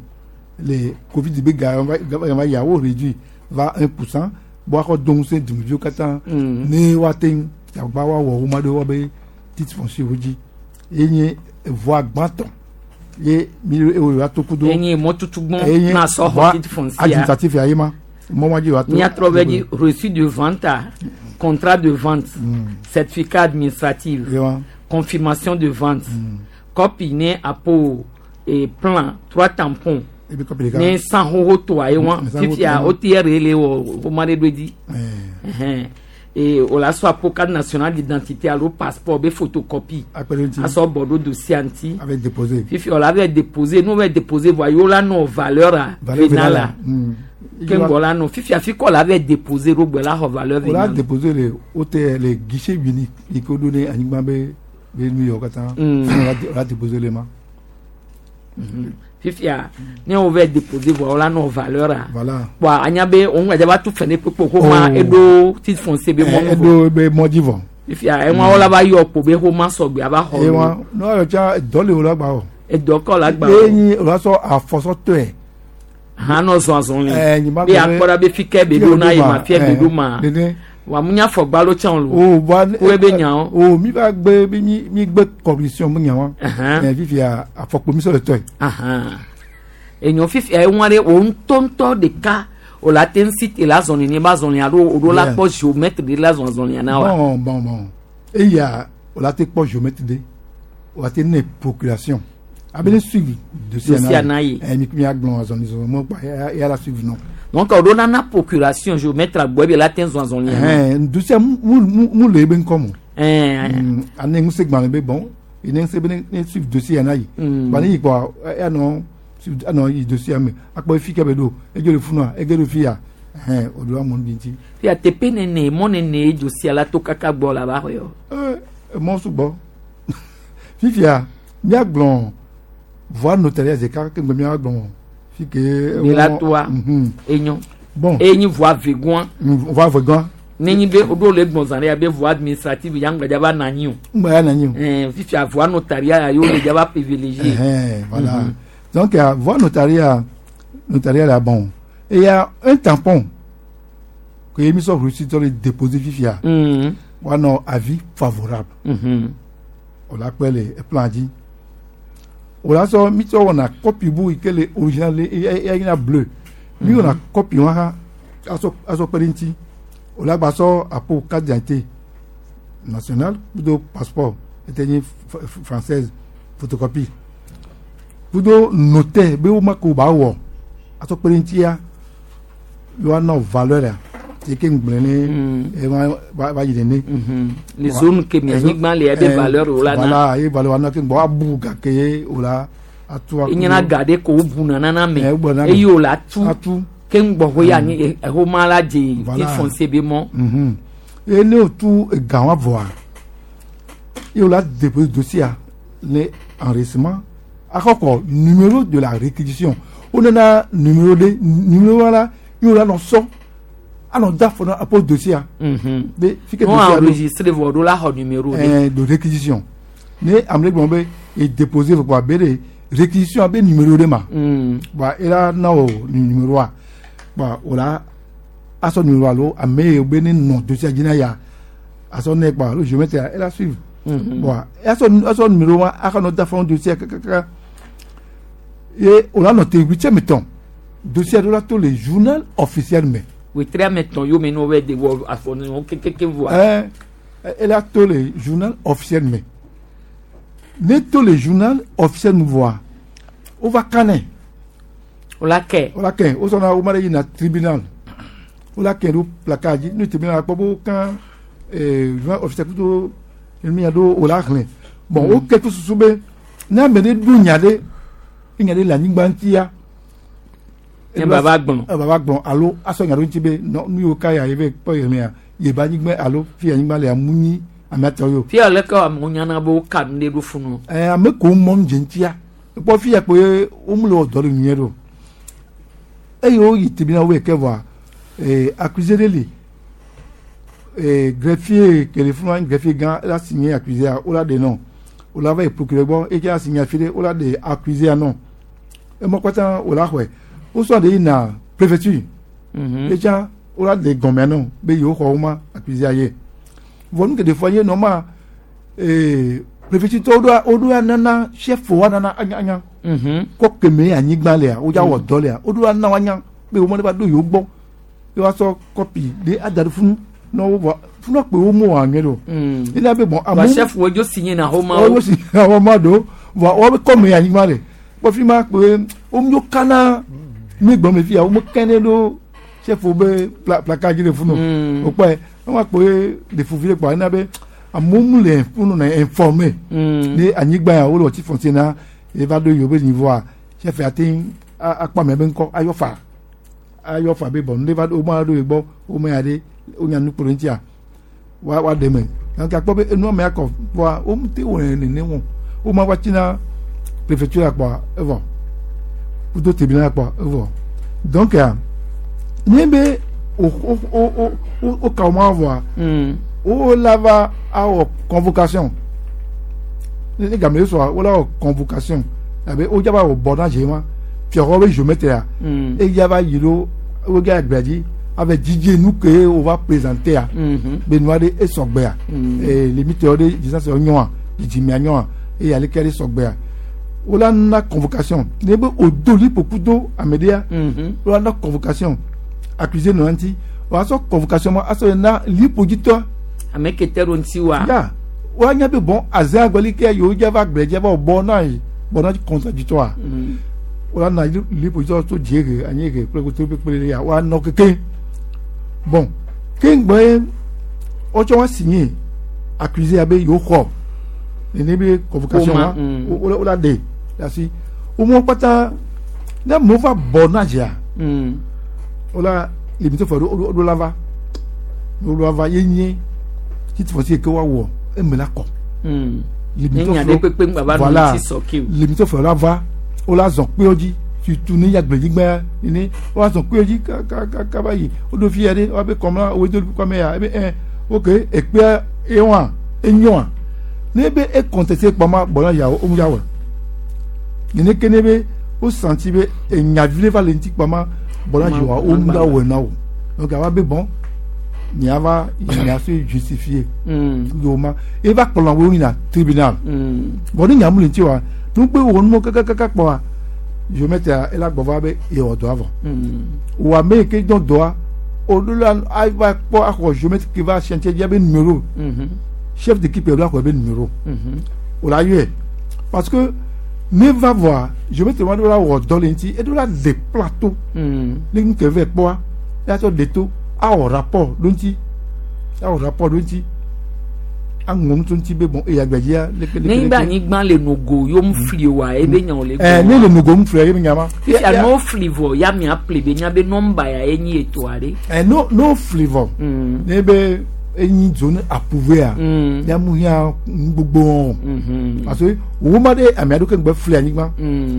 U: le covid be ga va ya wo réduit va un pour cent bɔn akɔ do ŋusẽ dumeviwo katã ne woate ŋu agba woawɔ woma ɖe wobe titre foncier wo dzi ye nye voie gbãtɔ ye mi ewɔ wa to kudo
A: Enye mɔtutugbɔn na sɔ xɔ titre foncier
U: administratif ya ye ma mɔ ma dzi wa to
A: miatrɔ bɛ dzi reçu de vente a, contrat de vente certificat administratif confirmation de vente copie ne apo et plan trois tampons
U: Ebi copie ɖeka.
A: ne san xoxo toa ye wa
U: Mm, san xoxo
A: fifia
U: toa.
A: o ti yɛrɛ le wɔ o ma de do dzi Ɛhɛn. et o la sɔ apo carte nationale d'identité alo passeport be photocopie
U: Akpe ɖe ŋuti.
A: asɔ bɔ ɖo dossier ŋuti
U: Avec déposé.
A: fifi o la vɛ déposer n'o vɛ déposer voa yewo la nɔ valeur a
U: Valeur
A: vénale
U: vénale
A: a
U: Mm.
A: ke ŋgɔ la nɔ fifi afi kɔ la vɛ déposer ɖo gbɛ la xɔ valeur
U: o la
A: vénale
U: déposé le O T R le guichet unique yi ke woɖo ne anyigba be be nu yawo katã
A: Mm.
U: o la o la déposé le ma.
A: Fifia ne wo vɛ déposer voa wo la nɔ valeur a
U: Voilà.
A: kpoa anya be wo ŋgɔ va tu fɛ ne kpekpe ko ma
U: Oh.
A: eɖo titre foncier be
U: Eh,
A: mɔnu vɔ
U: eɖo be mɔdzi vɔ.
A: Fifia eŋua wo la va yɔ kpo be xɔ ma sɔgbe ava xɔ
U: Eye
A: lo.
U: wa ne woayɔ tsa dɔ le wo la gba o.
A: Edɔ kɔ la gba
U: Ye
A: o.
U: nyi o la sɔ afɔsɔtɔe.
A: Hã nɔ zɔn azɔli
U: Eh, nyi ma
A: be
U: gblɔ be-
A: akpɔ ɖa be fi ke be ɖo na ye ma fia be ɖo ma
U: Nene.
A: wa mu nya fɔgbalo tsã o lo
U: O wa
A: Wo be nyawo.
U: O mi va gbe mi mi mi gbe commission mi nyawa.
A: Ahan.
U: Ɛ fifia afɔkpo mi sɔ le tɔe.
A: Ahan. Enyo fifia eŋua ɖe wo ŋutɔŋutɔ ɖeka o la te ŋu si te la zɔli ne ba zɔli alo o ɖo la
U: Yeah.
A: kpɔ géomètre ɖe la zɔn azɔlia na wa.
U: Bon bon bon eya o la te kpɔ géomètre de o la te ne procuration abe ne suivi dossier
A: Dossier na ye.
U: Ɛ mi mi agblɔ azɔli zɔli mo kpa eya eya la suivi nɔ.
A: Donc o ɖo nana procuration géomètre gbɔ ebe la te zɔn azɔlia na.
U: Ɛhɛn dossier mu mu mu le ebe ŋkɔ mo.
A: Ɛɛ.
U: Ane ŋusẽ gbalẽ be bon ene ŋusẽ be ne ne suivi dossier ya na yi.
A: Mm.
U: Ba ne yi kpɔ anɔ suivi anɔ yi dossier me akpɔ efi ke be ɖo edzo le funua ege ɖo fi ya ɛhɛn o do amewo bi ŋuti.
A: Fia teƒe nene mɔ nene dossier la to kaka gbɔ la va xɔ yɔ.
U: Ee mɔ sugbɔ fifia míagblɔ voie notariale ɖeka ke ŋgbe míagblɔ fi ke.
A: Mi la toa
U: Mhm.
A: enyo.
U: Bon.
A: Enyi voie vegoa.
U: Voie vegoa.
A: Nenyi be o ɖo le gbɔn zã ɖe ya be voie administrative ya ŋgbɛ dza va na anyi o.
U: Ŋgbɛ ya na anyi o.
A: Ɛɛ fifia voie notariale ya yewo le dza va privilégier.
U: Ɛhɛn, voilà.
A: Mhm.
U: Donc, euh, voie notariale, notariale, ah, bon. Et il y a un tampon que j'ai mis sur reçu dans le déposé fifia.
A: Mhm.
U: On a avis favorable.
A: Mhm.
U: On l'appelle le plan dit. On a ça, mis sur on a copie bout que le original il y a une bleu. Mi on a copie on a aso aso perinti. On a ba ça à pour carte d'identité nationale ou de passeport était une française photocopie. Kudo notaire be wo ma ko ba wɔ aso perinti ya yo ana valeur ya. quartier ke ŋgblẽ ne ema va va yi nene.
A: Les zones ke mi anyigba le ebe valeur wo la na.
U: Voilà, ye valeur na ke gbɔ abu gake ye o la atu.
A: Enyina ga ɖe ko wobuna nana me eye wo la tu ke ŋgbɔ ya anyi exɔ ma la dze titre foncier be mɔ.
U: Mhm. Eye ne o tu ega wa vɔa, ye o la déposer dossier ne enregistrement akɔkɔ numéro de la réquisition o nana numéro de numéro la ye o la nɔ sɔ anɔ da fɔ na apo dossier a.
A: Be fi ke dossier enregistré vɔ ɖo la xɔ numéro
U: de. Ɛɛ de réquisition ne ame ɖe gblɔ be e déposer vɔ kpa be de réquisition a be numéro de ma. Bon e la na o numéro a bon o la asɔ numéro alo ame yi be ne nɔ dossier dzi na ya asɔ ne kpa alo géomètre e la suivre. Bon asɔ asɔ numéro wa akɔ nɔ da fɔ dossier kakaka ye o la nɔ te huitième temps dossier ɖo la to le journal officiel me.
A: Wetri tɔn yome ne wo de wɔ afɔnu kekeke voa.
U: Ɛɛ ele ato le journal officiel me ne to le journal officiel me voa o va kanɛ.
A: O la kɛ.
U: O la kɛ o sɔnna o ma de yina tribunal o la kɛ do placard dzi ne tribunal kpɔ bo kan ɛɛ journal officiel kudo enu ya do o la xlẽ bon o kɛ to susu be ne ame ɖe ɖo nya ɖe enya ɖe le anyigba ŋutia.
A: Ne baba gblɔ.
U: Baba gblɔ alo asɔ nya ɖo ŋuti be nɔ nu yiwo ka ya ye be kpɔ ye mea ye be anyigba alo fi anyigba le amu nyi amea tɔ yo.
A: Fia leke amewo nyana be woka nu ɖe ɖo funu.
U: Ɛɛ ame ko mɔnu dze ŋutia kpɔ fi ya kpoe wo mu le wɔ dɔ le nyuie ɖo eye wo yi tribunal wo yi ke vɔa ee accusé ɖe li ee greffier ke le funu greffier gã ela signé accusé a wo la ɖe nɔ wo la va yi procureur gbɔ eye ke la signé afi ɖe wo la ɖe accusé a nɔ emɔ kpata wo la xɔe. O sɔ de yina préfecture etsa o la de gɔmɛ nɔ be yewo xɔ wo ma accusé aye vɔ nu geɖe fɔ ye nɔ ma ee préfecture tɔwo ɖo wo ɖo nana chef wa nana anya anya kɔ keme anyigba lea wo dza wɔ dɔ lea wo ɖo ana wa anya be wo ma ne va ɖo yewo gbɔ ye wa sɔ kɔpi de ada ɖe funu nɔ wo vɔ funu kpe wo mo wɔ anyɛ do ena be bɔn
A: amu chef wo dzo signé na xɔ ma wo
U: wo signé na xɔ ma do vɔ wo be kɔme anyigba le kpɔ fi ma kpe wo ŋu kana mi gbɔn mi fia wo mo kɛnɛ ɖo chef wo be placard dzi le funu o kpɔe wɔn ma kpe le fufu le kpɔ ena be amewo mu le funu na informé ne anyigba ya wo le wɔti foncier na eva ɖo yewo be niveau a chef ya te akpɔ ame be ŋkɔ ayɔ fa ayɔ fa be bɔn ne va ɖo wo ma ɖo ye gbɔ wo me ya ɖe wo nya nukpo ɖe ŋutia wa wa ɖe me donc akpɔ be enua me akɔ voa wo mu te wɔ nene wɔn wo ma va tsina préfecture la kpɔa evɔ kudo tribunal la kpɔa evɔ donc ne be o o o o o ka o ma vɔa o la va awɔ convocation ne game sɔa o la wɔ convocation abe o dzaba wɔ bɔ na dze ma fiɔxɔ be géomètre ya eya va yi ɖo o ga gbea dzi ave dzidze nu ke o va présenter ya be nua ɖe esɔgbea ee limite ɖe distance nyɔa dzidzimea nyɔa eye aleke ɖe sɔgbea o la na convocation ne be o do lipoku do ame ɖea o la na convocation accusé nɔ ŋuti o asɔ convocation ma asɔ na lipodzitɔ.
A: Ame ke te ɖo ŋuti wa.
U: Ya o anya be bɔn aze agbeli ke yewo dza va gblẽ dza va bɔ na yi bɔ na contradictoire o la na lipodzitɔ to dziehe anyiehe kple koto kple ya o anɔ keke bon ke ŋgbɛ wotsɔ wa signé accusé abe yewo xɔ nene be convocation wa o la de asi o mɔ kpata ne amewo va bɔ na dzia o la limite fɔ o do la va o do la va ye nye titre foncier ke wa wɔ eme la kɔ
A: limite
U: voilà limite fɔ la va o la zɔn kpewo dzi surtout ne yagblenyigba ne o la zɔn kpewo dzi kaba yi o do fi ya ɖe o be kɔmla o do kɔmɛ ya ebe ɛ ok ekpea ewa enyoa ne be e contesté kpɔma bɔnna yawo o mu yawɔ nene ke ne be o senti be enyavi le va le ŋuti kpɔma bɔnna yawo o mu yawɔ na o donc awa be bɔn nya va nya se justifier do ma e va kplɔ wo yina tribunal bɔn ne nya mu le ŋuti wa nugbe wo numo kakakaka kpɔa géomètre ela gbɔ va be yewɔ dɔa vɔ wa ame yi ke dɔn dɔa o do la ava kpɔ axɔ géomètre ke va chantier dzi abe numéro chef d'équipe la xɔ be numéro o la yɔe parce que ne va voa géomètre wa do la wɔ dɔ le ŋuti edo la de plateau ne nu ke vɛ kpɔa eya tsɔ de to Awɔ rapport ɖo ŋuti awɔ rapport ɖo ŋuti aŋlɔ nu tso ŋuti be bon eya gbedzia leke leke
A: Ne
U: leke.
A: be anyigba le nogo yom fli wa ebe nya wòle
U: Ɛ ne le nogo mu flia ye be nya ma.
A: Fifia no fli vɔ ya mia ple be nya be nɔmba ya enyi etoa ɖe.
U: Ɛ no no fli vɔ. Ne be enyi zone approuvé a. Ya mu hia gbogbo wɔn. Parce que wo ma ɖe ame aɖewo ke ŋgbe fli anyigba.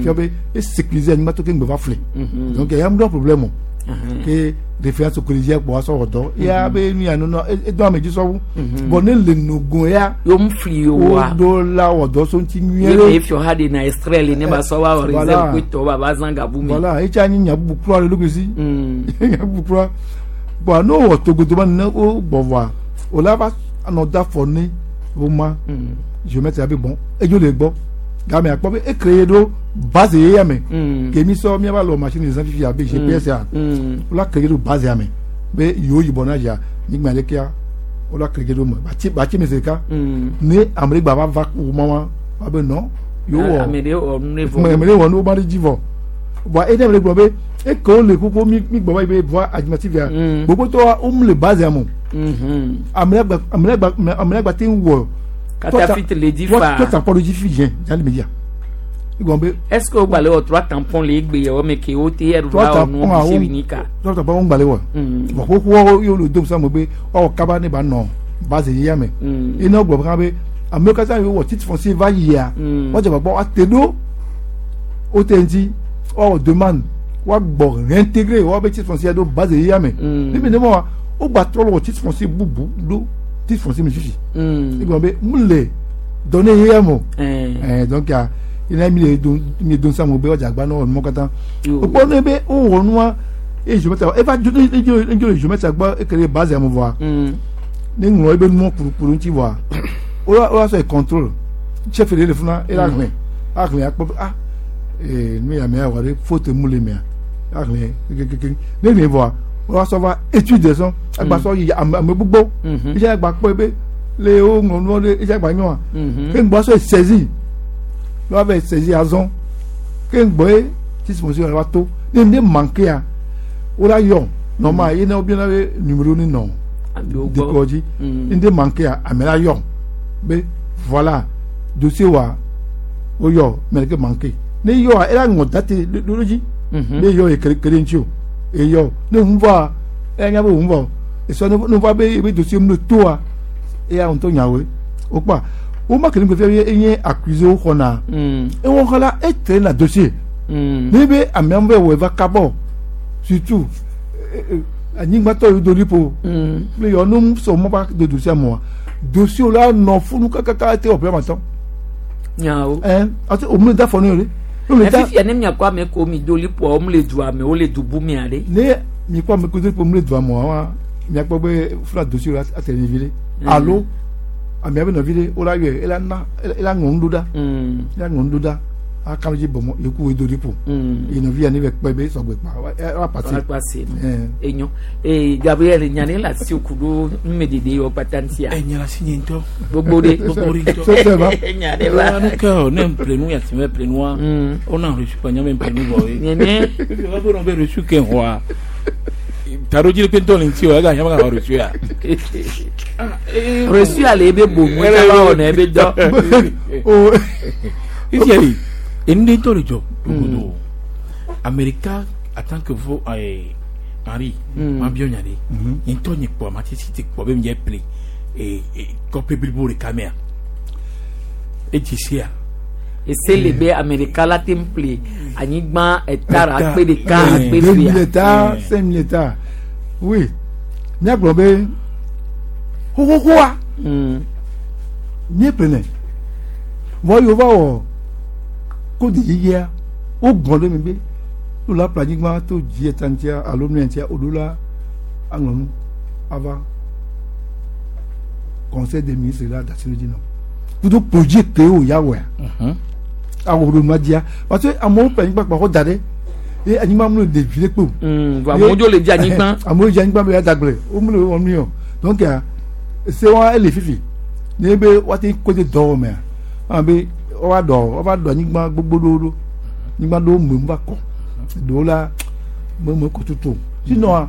U: Fia be e sécuriser anyigba to ke ŋgbe va fli. Donc ya mu ɖo problème o. Ke référence collégiale kpɔ asɔ wɔ dɔ. Ya be nu ya nunɔ edo ame dzi sɔwu. Bon ne le nogo ya.
A: Yom fli wa.
U: Wo do la wɔ dɔ so ŋuti nyuie
A: Ye
U: ɖe.
A: me fiɔ ha de na extrait le ne ba sɔ wa wɔ
U: Voilà.
A: réserve ko tɔ ba ba zã gabu me.
U: Voilà, etsa nyi nya bubu kura le ɖokui si. Nya bubu kura. Bon n'o wɔ togodo ma ne wo gbɔ vɔa, o la va anɔ da fɔ ne wo ma. Géomètre be bon, edzo le gbɔ. Game akpɔ be e créé ɖo base ye ya me. Ke mi sɔ miava lɔ machine zã fifi abe G P S ya. O la créé ɖo base ya me. Be yiwo yibɔ na dzia, nyigba ɖekea, o la créé ɖo me. Batsi batsi me zi ɖeka. Ne ame ɖe gba va va wo ma wa, wa be non, yewo wɔ.
A: Ame ɖe wɔ nu ne vɔ.
U: Ame ɖe wɔ nu wo ma ɖe dzi vɔ. Bon e ne ame ɖe gblɔ be eke wo le kuku mi mi gbɔ va yi be voie administrative ya. Gbogbotɔa wo mu le base ya me o. Ame ɖe gba ame ɖe gba ame ɖe gba te ŋu wɔ.
A: Katafit le dzi fa.
U: Trois tampons ɖo dzi fi dze dza le media. Egɔme be.
A: Est-ce que wo gba le wɔ trois tampons le egbe yɛ wɔ me ke wo te yɛ
U: Trois
A: va wɔ nu
U: tampons
A: fi
U: awo
A: winika.
U: trois tampons wo ŋgba le wɔ. Vɔ xoxoa ye wo le dom sa me be woawɔ kaba ne ba nɔ base ya me. Ye ne wo gblɔ hã be amewo katã yiwo wɔ titre foncier va yia. Woadze agbagba woate ɖo wo te ŋuti woawɔ demande woagbɔ réintégrer woabe titre foncier ɖo base ya me. Ne mi ne ma wa wo gba trɔ le wɔ titre foncier bubu ɖo titre foncier me fifi. Egɔme be mu le données ya me o. Ɛɛ donc ya ina mi le don mi don sa mo be woadze agbagba ne wɔ numɔ katã. Wokpɔ ne be wowɔ nua eye géomètre eva dzo edzo edzo le géomètre gbɔ eke le base ya me vɔa. Ne ŋlɔ ebe numɔ kurukuru ŋuti vɔa wo la wo la sɔ contrôle chef de le funa ela xlẽ axlẽ akpɔ be ah ee nu ya mea wɔ ɖe faute mu le mea axlẽ kekeke ne xlẽ vɔa wo la sɔ va étude sɔn agba sɔ yi ame ame gbogbo etsi agba kpɔ be le wo ŋlɔ nuɔ ɖe etsi agba nyɔa ke ŋgbɔ sɔ saisi ne wa va saisi azɔ ke ŋgbɔ ye titre foncier wa to ne ne manqué ya wo la yɔ normal ye ne wo biana be numéro ni nɔ décor dzi ne ne manqué ya ame la yɔ be voilà dossier wa wo yɔ mɛ ke manqué ne yɔ ela ŋɔ date ɖo dzi ne yɔ ye kele kele ŋuti o eyɔ ne ŋu va eya nya be ŋu va esɔ ne va be ebe dossier mu le toa eya ŋutɔ nyawoe o kpa wo ma kele ŋgɔ fia enye accusé wo xɔna ewɔ xɔ la etre na dossier ne be ameawo be wɔ eva kabɔ surtout anyigbatɔ yi do lipo kple yɔ nu sɔ mɔ ba do dossier mɔa dossier la nɔ funu kakaka ete wɔ ƒe amatɔ.
A: Nyawo.
U: Ɛ ati o mu le da fɔ ne yɔ de.
A: Fifia ne miakɔ ame ko mi do lipoa wo mu le dua me wo le du bu mia ɖe.
U: Ne miakpɔ ame ko do lipo mu le dua mɔa wa miakpɔ be funa dossier la ate ne vi ɖe alo amea be nɔvi ɖe wo la yɔe ela na ela ŋlɔ nu ɖo ɖa ela ŋlɔ nu ɖo ɖa akalo dzi bɔmɔ yeku wo do lipo ye nɔvi ya ne bɛ kpɛ be sɔgbe kpa wa pase.
A: Wa pase enyo ee Gabriel nya ne la si ku ɖo numedede yɔ kpata ŋutia.
T: Ɛ nyala si nye ŋutɔ.
A: Gbogbo ɖe
T: gbogbo ɖe ŋutɔ.
A: Nya ɖe va.
T: Nu ke o ne ƒle ya si me ƒle nua o na reçu kpa nya me ƒle nu vɔ ye.
A: Nene.
T: Efi va be be reçu ke xɔa taɖodzi ɖe ŋutɔ le ŋuti o ega nya be ga reçu ya.
A: Reçu ale ebe bomu eka va wɔna ebe dɔ.
T: Fifia yi enu ɖe ŋutɔ le dzɔ dogodo Amerika en tant que vo ɛɛ Henri ma biɔ nya ɖe nye ŋutɔ nye kpɔ ma tsi te kpɔ be mi dze ple ee kɔƒe blibo ɖeka mea edzi sia.
A: Ese le be Amerika la te ƒle anyigba hectare akpe ɖeka akpe
U: Deux mille
A: fia.
U: hectares, cinq mille hectares. Oui. Míagblɔ be xoxoxoa míeƒlenɛ. Vɔ yi wova wɔ code yeyea wogbɔn ɖe mi be no la ƒle anyigba to dzi eta ŋutia alo nu ŋutia woɖo la aŋlɔ nu ava conseil des ministres la da asi ɖe dzi nɔ kudo projet ke wo ya wɔa awɔ ɖo nua dzia parce que amewo ƒle anyigba kpa xɔ da ɖe ye anyigba mu le ɖevi ɖe kpe o.
A: vɔ amewo dzo le dzi anyigba.
U: Amewo dzi anyigba be ya dagble wo mu le wɔ nu yɔ donc se wa ele fifi ne be woate ko de dɔ wɔmea ame be woava dɔ woava dɔ anyigba gbogbo ɖewo ɖo anyigba ɖewo me va kɔ ɖewo la me me kɔ tutu o sinon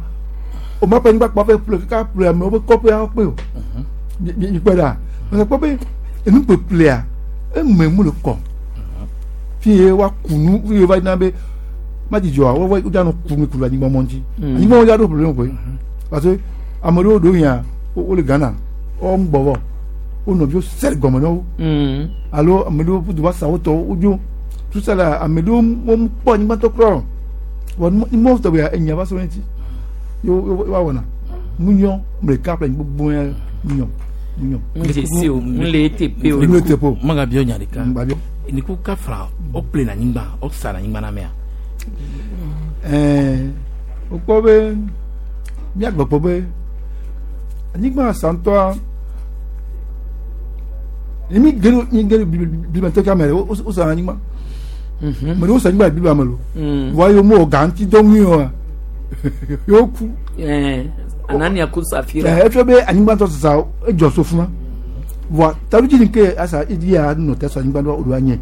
U: o ma ƒe anyigba kpɔ ƒe ƒle kaka ƒle amewo ƒe kɔƒe awo kpe o mi mi kpɔe ɖa parce que kpɔ be enu ƒeƒlea eme mu le kɔ fi ye wa kunu fi ye va yina be madzidzɔa wo wo dza nɔ kunu ku le anyigba mɔ ŋuti anyigba mɔ dza ɖo problème koe parce que ame ɖewo ɖo yia wo le Ghana wo ŋu gbɔ vɔ wo nɔviwo sɛ gɔme na wo alo ame ɖewo ƒu du va sa wo tɔwo wodzo tout ça la ame ɖewo wo kpɔ anyigba tɔ kura o vɔ numɔ tɔgbe ya enya va sɔ ŋuti yo yo wa wɔna mu nyɔ ame ɖeka ƒle anyigba gbogbo ya mu nyɔ mu nyɔ.
A: Ŋu o ŋu le eteƒe o.
U: Ŋu le eteƒe o.
T: Magabiɔ nya ɖeka.
U: Gbabio.
T: Niku kafra o ple na anyigba o sa na anyigba na mea.
U: Ɛɛ wokpɔ be míagblɔ kpɔ be anyigba santɔa mi ge ɖo mi ge ɖo bibliametɔ kame ɖe wo wo sa anyigba me ɖewo sa anyigba le biblia me lo vɔa yewo mewɔ ga ŋuti dɔ nyuie oa yewo ku.
A: Ɛɛ Anania ku Safira.
U: Ɛɛ efia be anyigba tɔ sisa edzɔ so fuma vɔa taɖodzi ni ke asa edzi ya nɔ te sɔ anyigba ɖo o ɖo anye.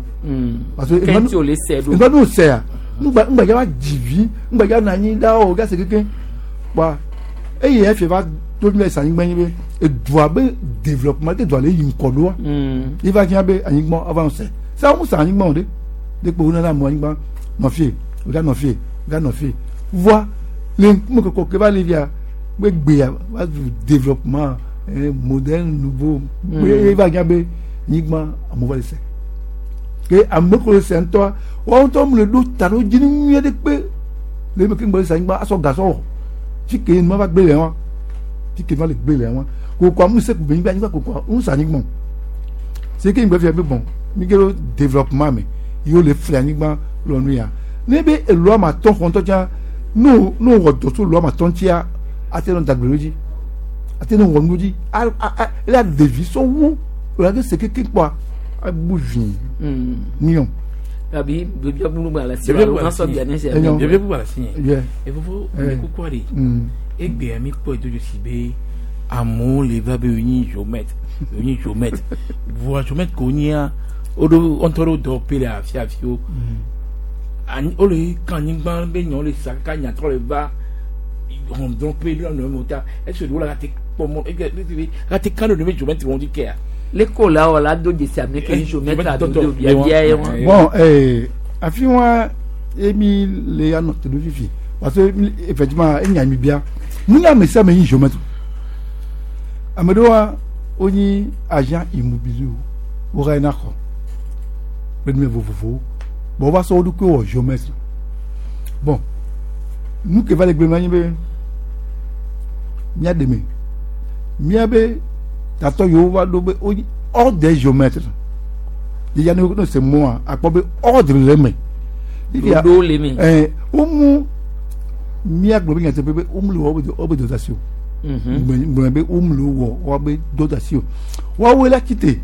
U: Parce que
A: Kɛntì o le sɛ ɖo.
U: ŋgba n'o sɛa ŋgba ŋgba ya va dzivi ŋgba ya nɔ anyi ɖa o gase keke wa eye efia va to mi le sa anyigba nyi be edua be développement te dua le yi ŋkɔ ɖoa yi va fia be anyigba ava nɔ sɛ sa ŋu sa anyigba o de de kpo wona na mɔ anyigba nɔ fie o ga nɔ fie o ga nɔ fie voa le ŋkume kɔkɔ ke va le fia be gbea va zu développement eh, moderne nouveau be va fia be anyigba amewo va le sɛ ke ame ko le sɛ ŋutɔa woawo ŋutɔ mu le ɖo ta ɖo dzi nyuie ɖe kpe le eme ke ŋgbɛ le sɛ anyigba asɔ gasɔ wɔ fi ke nua va gbe le wa fi ke nua le gbe le wa koko amu se kube anyigba anyigba koko ŋu sa anyigba se ke ŋgbɛ fia be bɔn mi ke ɖo développement me yewo le fli anyigba lɔ nu ya ne be elɔ ama tɔ xɔ ŋutɔ tsã n'o n'o wɔ dɔ so lɔ ama tɔ ŋutia ate nɔ dagbe ɖo dzi ate nɔ wɔ nu dzi a a a ele ɖevi sɔ wu o la ke se keke kpɔa abu vi nyɔ.
A: Abi bebia bulu gba la si alo kan sɔ bia ne si.
T: Bebia bulu gba la si
U: Yeah.
T: yɛ. Efofo
U: Eh.
T: ne kukua de.
U: Mm.
T: Egbea mi kpɔ edo dzesi be amewo le va be wonyi géomètre wonyi géomètre voa géomètre ko nyia woɖo ŋutɔ ɖo dɔwɔƒe le afi afiwo. Anyi wole kan anyigba be nyawo le sa kaka nyatrɔ le va hɔndrɔ̃ƒe ɖo nɔnɔme ta esi ɖewo la te kpɔ mɔ ege ate kan ɖo ne be géomètre wɔn dzi kea.
A: Le ko la wɔ la do dzesi ame ke géomètre ado do bia bia ye wɔn.
U: Bon, eh, afi wa emi le ya nɔ te ɖo fifi parce que mi- effectivement enya mi bia mu nye ame sia ame nyi géomètre ame ɖewoa wonyi agent immobilier wo va yina xɔ kple nume vovovowo bon wova sɔ wo ɖokui wɔ géomètre bon nu ke va le gblẽ anyi be mía ɖeme míabe tatɔ yiwo va ɖo be wonyi ordre des géomètres ya ne ne se mɔa akpɔ be ordre le eme.
A: Ɖoɖo le eme.
U: Ɛɛ womu míagblɔ be nyateƒe be womu le wɔ wobe wobe dɔdasi o. Gblɔ be womu le wɔ wobe dɔdasi o. Woawoe la tite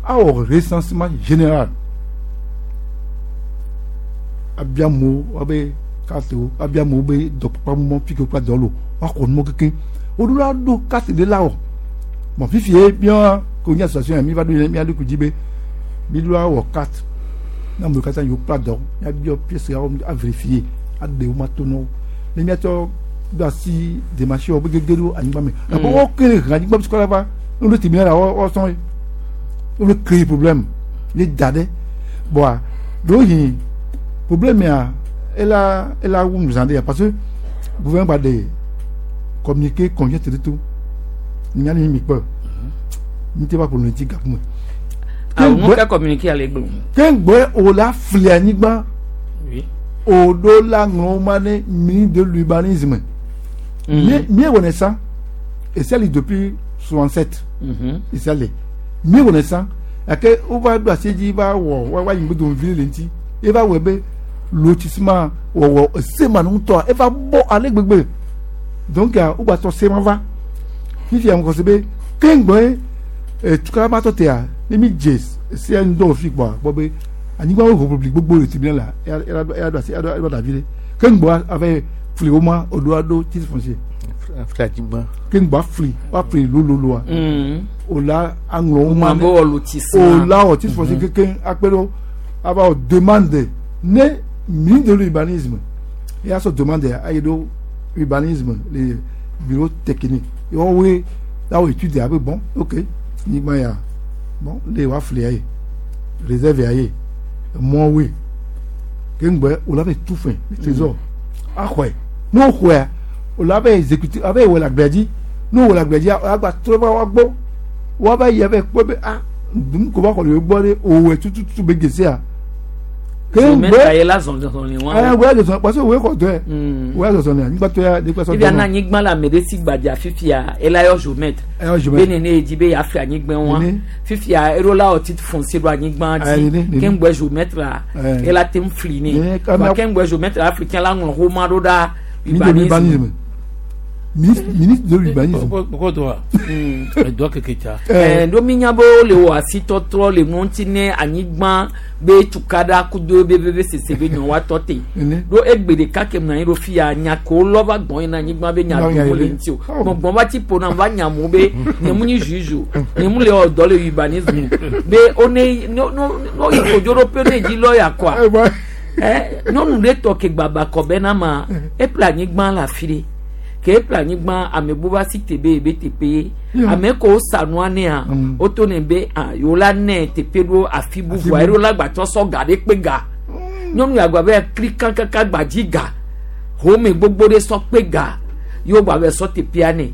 U: awɔ recensement général abia amewo woabe carte wo abia amewo be dɔkpakpa fi ke wokpla dɔ le o woaxɔ numɔ kekeŋ woɖo la ɖo carte ɖe la wɔ bon fifi ye míawo ko nye association ya mi va ɖo mía ɖokui dzi be mi ɖo awɔ carte ne amewo katã yiwo kpla dɔ míabiɔ pièce yawo a vérifier aɖe wo ma to na wo ne míatsɔ do asi démarche wo be gege ɖo anyigba me gake wo ke le he anyigba sukɔ la va ne wo ɖo tribunal la wo sɔn ye wo le créer problème ye da ɖe boa ɖewohĩ problème ya ela ela wu nu zã ɖe ya parce que gouvernement gba ɖe communiqué convient te to nya ni mi kpɔ mi te va ƒo nu ŋuti gaƒome.
A: Awo ŋu ka communiqué ale gblɔ.
U: Ke ŋgbɛ o la fli anyigba o ɖo la ŋlɔ ma ne ministre de l'urbanisme. Mi mi wɔnɛ sa esi ali depuis soixante sept. Esi ali mi wɔnɛ sa gake wova ɖo asi dzi va wɔ wa wa yi ŋgbe dom vi le ŋuti eva wɔ be lotissement wɔwɔ esema ŋutɔa eva bɔ ale gbegbe donc wogba tɔ sema va fifia ŋgɔ se be ke ŋgbɛ etukala ma tɔ tea ne mi dze sia ŋdɔ fi kpɔa gbɔ be anyigba wo ʋuʋu gbogbo le tribunal la eya eya ɖo asi eya ɖo davi ɖe ke ŋgbɔ ava fli wo ma oɖo aɖo titre foncier
S: fli anyigba
U: ke ŋgbɔ fli wa fli lololoa o la aŋlɔ wo ma
A: Mambo wɔ lotissement.
U: o la wɔ titre foncier keke akpe ɖo ava wɔ demande ne ministre de l'urbanisme eya sɔ demande ayi ɖo urbanisme le Bureau technique woawoe la wɔ étude abe bon, ok, nyigba ya bon le wa fli ya ye réserve ya ye mɔwoe ke ŋgbɛ o la bɛ tu fɛn trésor axɔe n'o xɔea o la bɛ exécuter a bɛ wɔ le agblea dzi n'o wɔ le agblea dzi a gba trɔ va wa gbɔ wa va yi avɛ kpɔ be ah nu ko va xɔ le gbɔ ɖe o wɔ tututu be gesia.
A: Géomètre ye la zɔzɔli wa.
U: Ɛ wòye zɔzɔli parce que wòye xɔ dɔɛ wòye zɔzɔli anyigba tɔ ya de kpɛsɔ
A: dɔn. Ibi ana anyigba la ame ɖe si gbadza fifia ela yɔ géomètre.
U: Eyɔ géomètre.
A: Be nene edzi be yeafli anyigba wa. Fifia eɖo la wɔ titre foncier ɖo anyigba dzi. Ke ŋgbɛ géomètre la ela te ŋu fli nɛ. Wa ke ŋgbɛ géomètre la fli kɛ la ŋlɔ xoma ɖo ɖa
U: urbanisme. Ministre ministre de l'urbanisme.
T: Pourquoi toi? Edɔ keke tsa.
A: Ɛɛ ɖo mi nya be wole wɔ asitɔtrɔ le nu ŋuti ne anyigba be tukaɖa kudo be be be sese be nyɔ wa tɔ te. Ɖo egbe ɖeka ke mlɔ anyi ɖo fia nya ke wolɔ va gbɔn yina anyigba be nya ɖo le ŋuti o. Gbɔngbɔn va tsi ƒo nam va nya mo be nye mu nyi juge o nye mu le wɔ dɔ le urbanisme be wo ne no no no yi kodzo ɖo pe ne dzi lɔ ya kɔa. Ɛ nyɔnu ɖe tɔ ke gbaba kɔ be na ma eƒle anyigba le afi ɖe. Ke eƒle anyigba ame bu va si te be ebe teƒe ye ame ko sa nua nea woto ne be ah yewo la nɛ teƒe ɖo afi bubua eɖo la gbatsɔ sɔ ga ɖe kpe ga nyɔnu ya gba be kli kankaka gbadzi ga home gbogbo ɖe sɔ kpe ga yewo gba be sɔ teƒea nɛ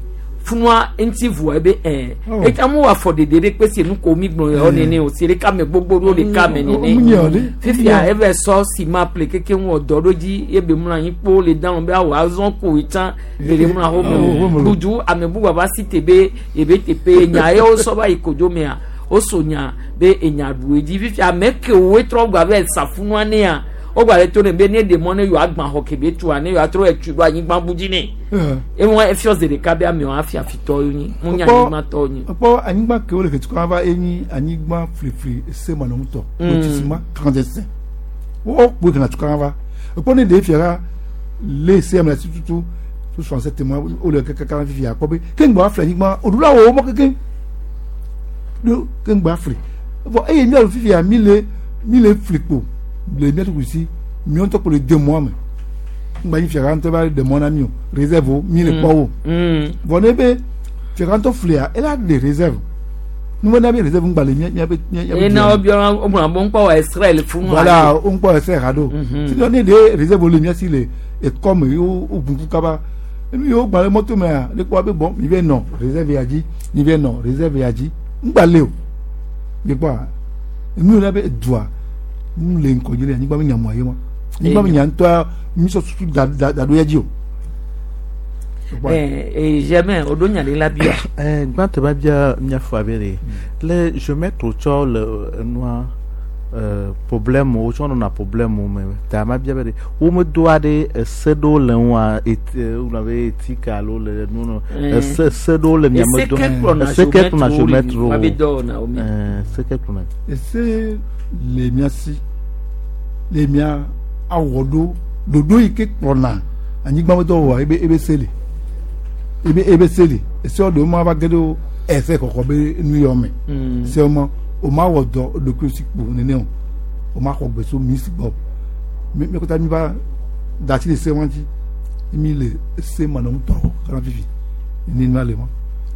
A: funua ŋuti vua ebe ɛɛ etsa mu wɔ afɔ ɖeɖe ɖe kpe si nu ko mi gblɔ yɔ nene o si ɖeka me gbogbo ɖo ɖeka me nene fifia eve sɔ sima ple keke ŋu wɔ dɔ ɖo dzi ebe mlɔ anyi kpo le dan be awɔ azɔ ko etsã le mlɔ aho me budu ame bubu ava si te be ebe teƒe nya ye wosɔ va yi kodzo mea woso nya be enya ɖu edzi fifia ame ke woe trɔ gba be safunua nea wogba le to ne be ne ɖe mɔ ne yewoa agbã xɔ kebe tua ne yewoa trɔ etui ɖo anyigba bu dzi nɛ ewɔ efiɔ zi ɖeka be amewo hafi afitɔwo nyi mu nye anyigba tɔwo nyi.
U: Kpɔ anyigba ke wole ketukɔ va enyi anyigba flifli ese manɔŋutɔ lotissement clandestin wo kpo kana tukɔ va ekpɔ ne ɖe fia la le se ame la tutu tout soixante-sept mois wole kaka fifia kpɔ be ke ŋgbɔ afli anyigba oɖula wo mɔ keke do ke ŋgbɔ afli vɔ eye miawo fifia mi le mi le fli kpo le mia tukui si miɔ ŋutɔ kpo le deux mois me ŋgba nyi fiaga ŋutɔ va deux mois na mi o réserve o mi le kpɔ wo vɔ ne be fiaga ŋutɔ flia ela de réserve nu na be réserve ŋgba le mia mia be mia mia.
A: Ena wo biɔ wo gblɔ be ŋkpɔ wɔ Israël funu.
U: Voilà ŋkpɔ Israël ha do sinon ne de réserve le mia si le ekɔme ye wo gunku kaba enu ye wo gba le mɔto mea ne kpɔ be bon mi bɛ nɔ réserve ya dzi mi bɛ nɔ réserve ya dzi ŋgba le o mi kpɔa enu yi na be dua nu le ŋkɔ dzi le anyigba be nyamua ye ma anyigba be nya ŋutɔa mi sɔ susu da da da ɖo ya dzi o.
A: Eh, eh, jamais o do nya ɖe la bia.
S: Eh, gbãtɔ ba bia míafɔ abe ɖe le géomètre tsɔ le nua euh, problème wo tsɔ nɔna problème me ta ma bia be ɖe womedo aɖe ese ɖewo le ŋua et wogblɔ be éthique alo le nu no ese ese ɖewo le miame do ese ke kplɔna géomètre wo ese ke kplɔna.
U: Ese le mia si le mia awɔ ɖo ɖoɖo yi ke kplɔna anyigba me dɔwɔwɔ ebe ebe se le ebe ebe se le ese ɖewo ma va ge ɖo ese kɔkɔ be nu yɔ me ese ma o ma wɔ dɔ ɖokui si kpo nene o o ma xɔ gbe so mi si gbɔ mi mi kɔta mi va da asi le se wa ŋuti mi le se ma nɔ ŋutɔ kana fifi ne nua le ma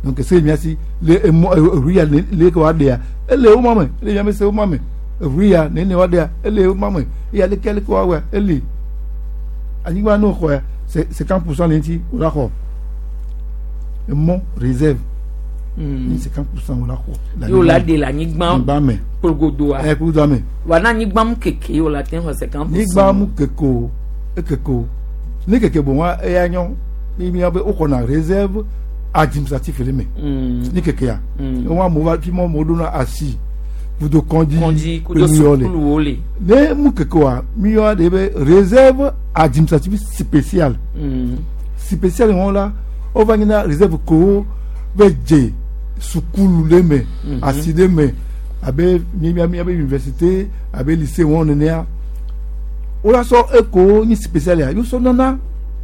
U: donc ese mia si le emɔ eʋu ya le ke wa ɖea ele wo ma me ele mia me se wo ma me eʋu ya nene wa ɖea ele wo ma me eya leke leke wa wɔa ele anyigba n'o xɔ ya cinquante pour cent le ŋuti o la xɔ emɔ réserve ni cinquante pour cent o la xɔ.
A: Yóò la de la anyigba
U: me
A: kplogodoa.
U: Ɛ kplogodoa me.
A: Wa na anyigba mu keke yóò la te xɔ cinquante pour cent.
U: Anyigba mu keke o ekeke o ne keke bon wa eya nyɔ ni mi be o xɔna réserve administratif le me. Ni keke ya. Wɔn amewo va fi mɔ amewo ɖona asi kudo kɔndzi
A: kɔndzi kudo sukuluwo le.
U: Ne mu keke wa mi yɔ de be réserve administrative spéciale. Spéciale wɔn la wova nyina réserve kowo bɛ dze sukulu le me asi ɖe me abe mia mia be université abe lycée wɔn nenea wola sɔ eko nyi spécial ya yosɔ nana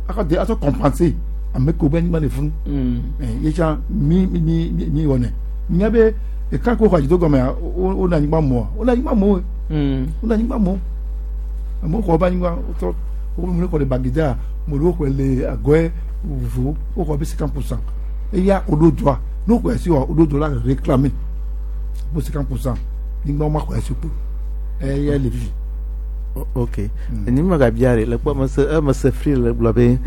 U: akɔ de asɔ compenser ame ko be anyigba le funu ɛ yetsa mi mi mi mi wɔnɛ nya be eka ko xɔ adzido gɔmea wo wo na anyigba mɔa wo na anyigba mɔ wo na anyigba mɔ amewo xɔ be anyigba wotɔ wo me xɔ le Baguida mo ɖewo xɔe le Agɔɛ vovovo wo xɔ be cinquante pour cent eya wo ɖo droit ne wo xɔe si wa wo ɖo droit la réclamer pour cinquante pour cent nyigba wo ma xɔe si kpo eya le fifi.
S: Ok, ni ma ga bia le kpɔ mese emese fri le gblɔ be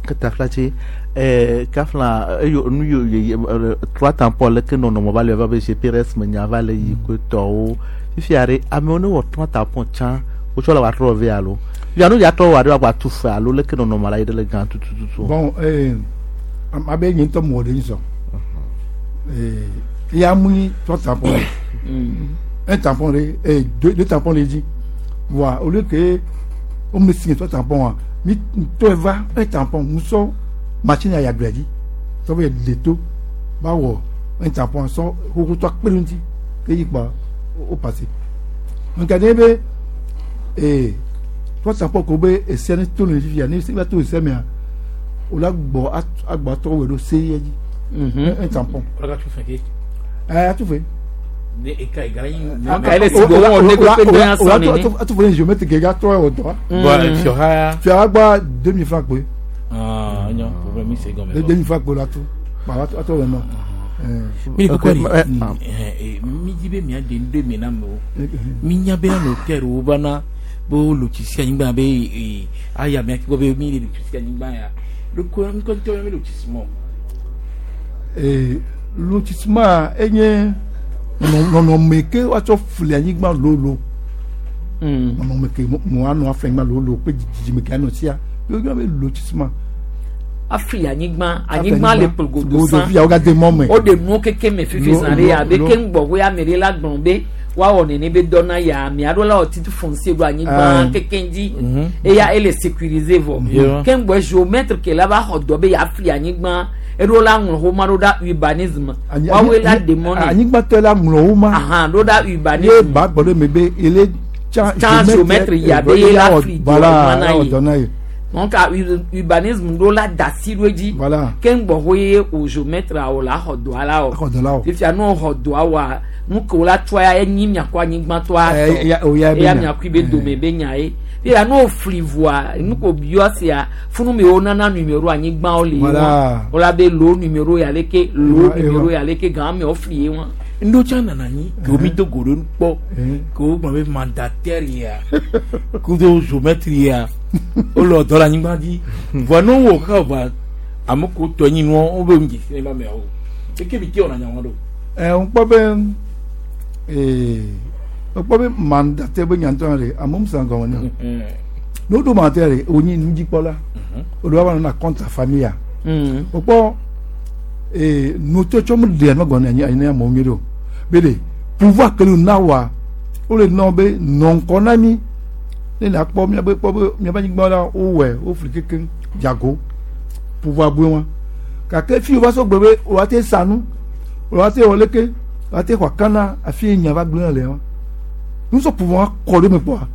S: ketaflatse eh, kafla eyo nu yo ye trois tampon leke nɔnɔme va le va be G P R S me nya va le yi ko tɔwo fifia ɖe amewo ne wɔ trois tampon tsã wotsɔ le wòatrɔ vɛ alo fifia nu ya trɔ wɔ aɖe wòagbatu fe alo leke nɔnɔme la yi ɖe le gã tutututu.
U: Bon, eh, abe nye ŋutɔ mɔ ɖe ŋusɔ eh, ya mu nyi trois tampon, un tampon ɖe, eh, deux, deux tampons le dzi voa au lieu que wo me signé trois tampons wa mi tɔe va un tampon ŋusɔ machine ya yagblẽ dzi sɔ be le to ba wɔ un tampon sɔ xoxotɔ kpe ɖe ŋuti ke yi kpa o passé nka ne be ee trois tampons ko be ese ne to le fifia ne se va to ese mea o la gbɔ agbɔ atɔ wɔ ɖo se ye dzi un tampon.
T: Ɔlɔ ka tu fɛ ke.
U: Ɛɛ atu fɛ.
T: Ne eka egara yi.
A: Aka ele si gbɔ wɔn ne ko pe dɔn sɔn nene.
U: Atu fɛ géomètre kɛ ka trɔ wɔ dɔ.
T: Bon, fiɔha.
U: Fiɔha gba deux mille francs kpe.
T: Ah, nyɔ problème mi se gɔmɛ.
U: Deux mille francs kpe la tu atɔ wɔ nɔ.
T: Mi kɔkɔ ni mi di be mia de ŋdɔ mi na me o mi nya be notaire wo bana be wo lotisi anyigba be aya mia gbɔ be mi le lotisi anyigba ya loko ŋkɔ ŋutɔ mi lotissement.
U: Lotissement enye nɔnɔme ke woatsɔ fli anyigba lolo nɔnɔme ke mo anɔ afli anyigba lolo kple dzidzime ke anɔ sia yɔ be lotissement.
A: Afli anyigba anyigba le kplogodo san
U: fia wogade mɔ me.
A: O de nuwo keke me fifi zã ɖe abe ke ŋgbɔ wo ame ɖe la gblɔ be woawɔ nene be dɔ na ya ame aɖewo la wɔ titre foncier ɖo anyigba keke dzi eya ele sécuriser vɔ ke ŋgbɔ géomètre ke la va xɔ dɔ be yeafli anyigba eɖo la ŋlɔ xoma ɖo ɖa urbanisme woawoe la demɔ ne.
U: Anyigba tɔ la ŋlɔ woma.
A: Ahan ɖo ɖa urbanisme.
U: Ye ba gbɔ ɖe me be ele
A: tsa géomètre ya be ye la fli dɔ na ye. Donc urbanisme ɖo la da si ɖo edzi ke ŋgbɔ ho ye o géomètre o la xɔ dɔa la o fifia ne xɔ dɔa wa nu ke o la tsɔa ya enyi miakɔ anyigba tɔa tɔ eya miakui be dome be nya ye fifia ne o fli voa nu ko biɔ sia funu mi wo nana numéro anyigbawo le ye wa o la be lo numéro ya leke lo numéro ya leke gan mi o fli ye wa.
T: Ŋdɔ tsã nana anyi ke wo mi do go ɖo kpɔ ke wo gblɔ be mandataire ya kudo géomètre ya wole dɔ le anyigba dzi vɔa ne wowɔ kaka vɔa ame ko tɔ nyi nua wo be ŋdzi si ne ba mea o eke mi te wɔna nya wa ɖo.
U: Ɛ ŋkpɔ be ee ŋkpɔ be mandataire be nyantɔ ɖe amewo san gɔme ne ne woɖo mandataire ɖe wonyi nudzikpɔla woɖo va nana compte famille ya wokpɔ ee nutsɔtsɔ mu ɖe anɔ gɔme anyi anyi amewo nyuie ɖo be de pouvoir ke le na wa wole nɔ be nɔ ŋkɔ na mi ne na kpɔ miabe kpɔ be miabe anyigba la wowɔe wofli kekeŋ dzago pouvoir bue wa gake fi wo va sɔ gbe be wo te sa nu wo te wɔ leke wo te xɔ akana afi ye nya va gblẽ le wa nusɔ pouvoir kɔ ɖe me kpɔa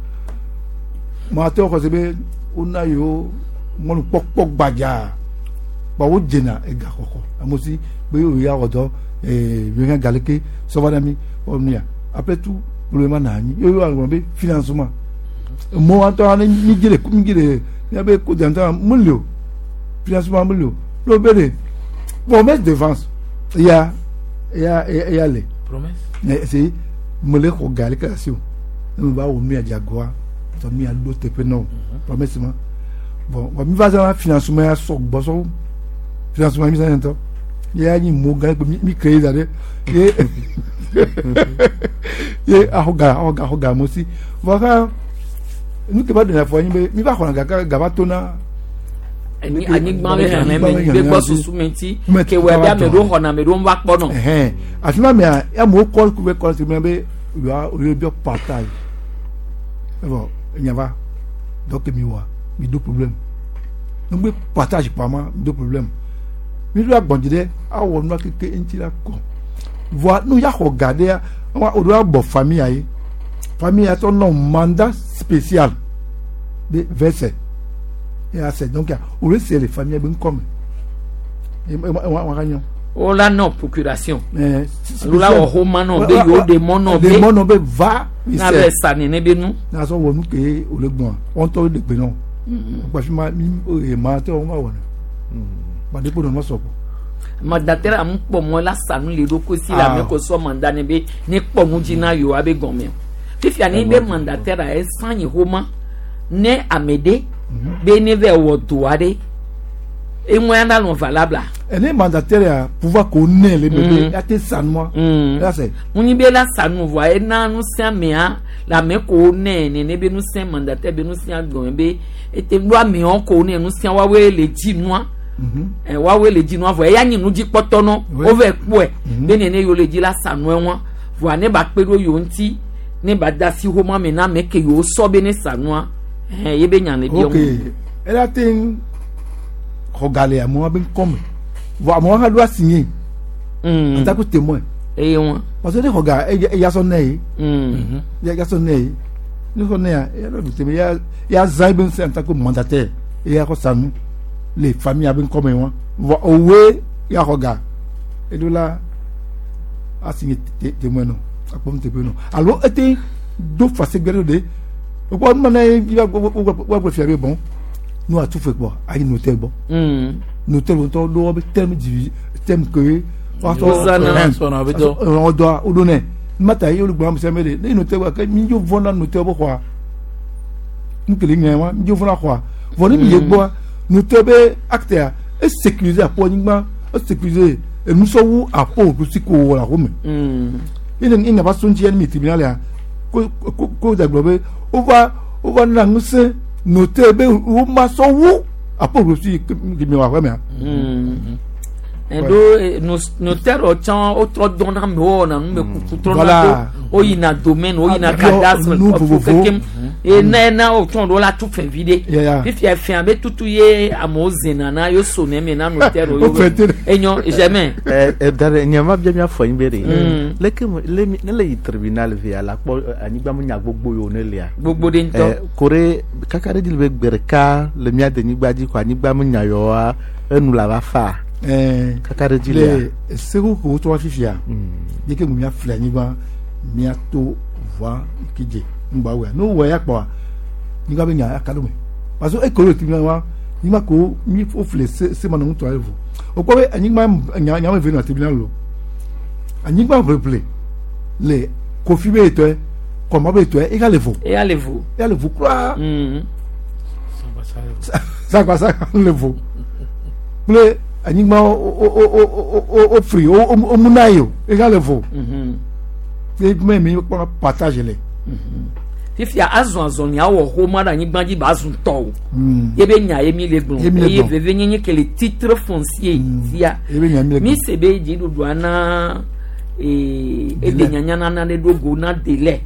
U: mo ate xɔ se be wona yewo mɔnukpɔkpɔ gbadza kpɔ wo dzena ega xɔxɔ amewo si be yewo ya wɔ dɔ ee yòóhɛ galeke sɔva na mi wɔ nu ya après tout problème na anyi yewo alɔ be financement mɔ wa tɔ ne mi dzi le mi dzi le miabe ko dantɔ mu li o financement mu li o n'o be de promesse de vente ya ya ya le
T: promesse
U: ɛ c'est mo le xɔ gali kɛ asi o ne mo ba wɔ nu ya dzagoa tɔ nu ya ɖo teƒe na o promesse ma bon wa mi va zã financement ya sɔ gbɔ sɔ financement mi zã ŋutɔ ya nyi mo gã mi mi créé da ɖe ye ye axɔ ga axɔ ga axɔ ga mo si vɔ ka nu ke va ɖena fɔ anyi be mi va xɔna gaka gava tona.
A: Anyigba be xexlẽme be gbɔ susu me ŋuti ke wɔ be ame ɖewo xɔna ame ɖewo va kpɔ nɔ.
U: Ɛhɛn afi ma mea amewo kɔ ku be kɔ si me be yewoa yewoa biɔ partage evɔ enya va dɔ ke mi wɔa mi do problème ne be partage kpa ma mi do problème mi do agbɔndzi ɖe awɔ nua keke ŋuti la kɔ voa nu ya xɔ ga ɖea wa o do abɔ famille ya ye famille ya tɔ nɔ mandat spécial de verset et à c'est donc o le c'est les familles be ŋkɔme e wa wa ka nyɔ.
A: O la nɔ procuration.
U: Eh,
A: Alo la wɔ xoma nɔ be yewo ɖe mɔ nɔ be
U: ɖe mɔ nɔ be va
A: n'a bɛ sa nene be nu.
U: n'a sɔ wɔ nu ke o le gbɔn wɔn tɔ de gbe nɔ parce que ma mi e ma tɛ wɔn ma wɔ ne ma de ko nɔ ma sɔ kɔ.
A: Mandataire amu kpɔ mɔ la sanu le ɖokui si le
U: Ah.
A: ame ko sɔ mandat ne be ne kpɔ nu dzi na yewoa be gɔme o. Fifia ne be mandataire a esan yi xoma ne ame ɖe be ne vɛ wɔ do aɖe eŋua na nɔ valable.
U: Ene mandataire ya pouvoir ko ne le bebe
A: Mm.
U: ya te sanua. Ya sɛ.
A: Ŋunyi be la sanu vɔa ena ŋusẽ amea le ame ko ne nene be ŋusẽ mandataire be ŋusẽ gɔme be ete ɖo amewo ko ne ŋusẽ woawoe le dzi nua. Ɛ woawoe le dzi nua vɔ eya nyi nudzikpɔtɔ nɔ wovɛ kpɔe be nene yewo le dzi la sanu eŋua vɔa ne ba kpe ɖo yewo ŋuti ne ba da asi xoma me na ame ke yewo sɔ be ne sanua ɛhɛn ye be nya le biɔ
U: Ok ela te xɔ ga le amewo be ŋkɔme vɔ amewo hã ɖo asigné.
A: En
U: tant que témoin.
A: Eye ŋua.
U: Parce que ne xɔ ga eya sɔ ne ye.
A: Mm.
U: Ya sɔ ne ye ne xɔ ne ya eya ɖo teme ya ya zã ebe ŋusẽ en tant que mandataire eya xɔ sanu le famille abe ŋkɔme wa vɔ owoe ya xɔ ga eɖo la asigné témoin nɔ akpɔm teƒe nɔ alo ete do fase gbɛ ɖo de okpɔ numa ye wa gblɔ fia be bon nu atu fe gbɔ ayi notaire gbɔ
A: Mm.
U: notaire ŋutɔ ɖo wobe terme divi terme ke
A: Wozãna.
U: ɔdɔa woɖo nɛ mata ye wole gblɔ ame sia ame de ne notaire gbɔ ke mi dzo vɔ na notaire be xɔa nu kele ŋe wa mi dzo vɔ na xɔa vɔ ne mi ye gbɔa notaire be acte ya e sécuriser aƒo anyigba e sécuriser enusɔwu aƒo ɖusi ko wɔ le aƒo me
A: Mm.
U: ene ene va so ŋuti ya ne mi tribunal ya ko ko ko da gblɔ be wova wova na ŋusẽ notaire be wo ma sɔ wu aƒo ɖusi ke mi wɔ aƒe mea.
A: Mm. Eɖo notaire tsã wotrɔ dɔn na amewo wɔna numekuku trɔna
U: Voilà.
A: do woyina domaine woyina
U: Abiɔ
A: cadastre
U: nu
A: kɔfu
U: vovovo.
A: kekem eye na ena wotsɔ ɖo la tu fɛn vi ɖe
U: Ya, ya.
A: fifia fɛn abe tutu ye amewo zena na yewo sonɛ me na notaire
U: Wo fɛn te ɖe.
A: enyo jamais.
S: Eh, eh, dare nye ma bia mia fɔ nyi be ɖe
A: Mm.
S: leke me- le mi- ne le yi tribunal via la kpɔ eh, anyigba me nya gbogbo yiwo ne lia
A: Gbogbo ɖe ŋutɔ.
S: Eh, ko ɖe kaka ɖe dzi le be gbe ɖeka le mia denyigba dzi ko anyigba me nya yawoa enu la va fa
U: Ɛɛ,
S: kaka ɖe dzi lia
U: le segu ko wotɔ fifia yi ke mia fli anyigba mia to voa kedze ŋgba wea ne wowɔ ya kpɔa anyigba be nya aka ɖo me parce que eko le tribunal wa anyigba ko mi wo fli se se ma nɔ ŋutɔ aɖe vo wokpɔ be anyigba nya nya me ve nɔ tribunal lo anyigba ʋleʋle le kofi be etɔe kɔmɔ be etɔe ega le vo
A: eya le vo.
U: eya le vo kura
A: Mm.
U: sagbasa le vo kple anyigba wo wo wo wo wo wo fri wo wo wo muna yi o ega le vo
A: Mhm.
U: eye me mi kpɔna partage le.
A: fifia azɔ azɔli awɔ xoma ɖe anyigba dzi ba zu tɔ o
U: Mm.
A: ye be nya ye mi le gblɔ
U: Ye mi le
A: eye
U: gblɔ.
A: veve nyenye ke le titre foncier tia
U: Ye be nya mi le gblɔ.
A: mi se be dziɖuɖua na ee ede nyanya nana ɖe ɖo go na délai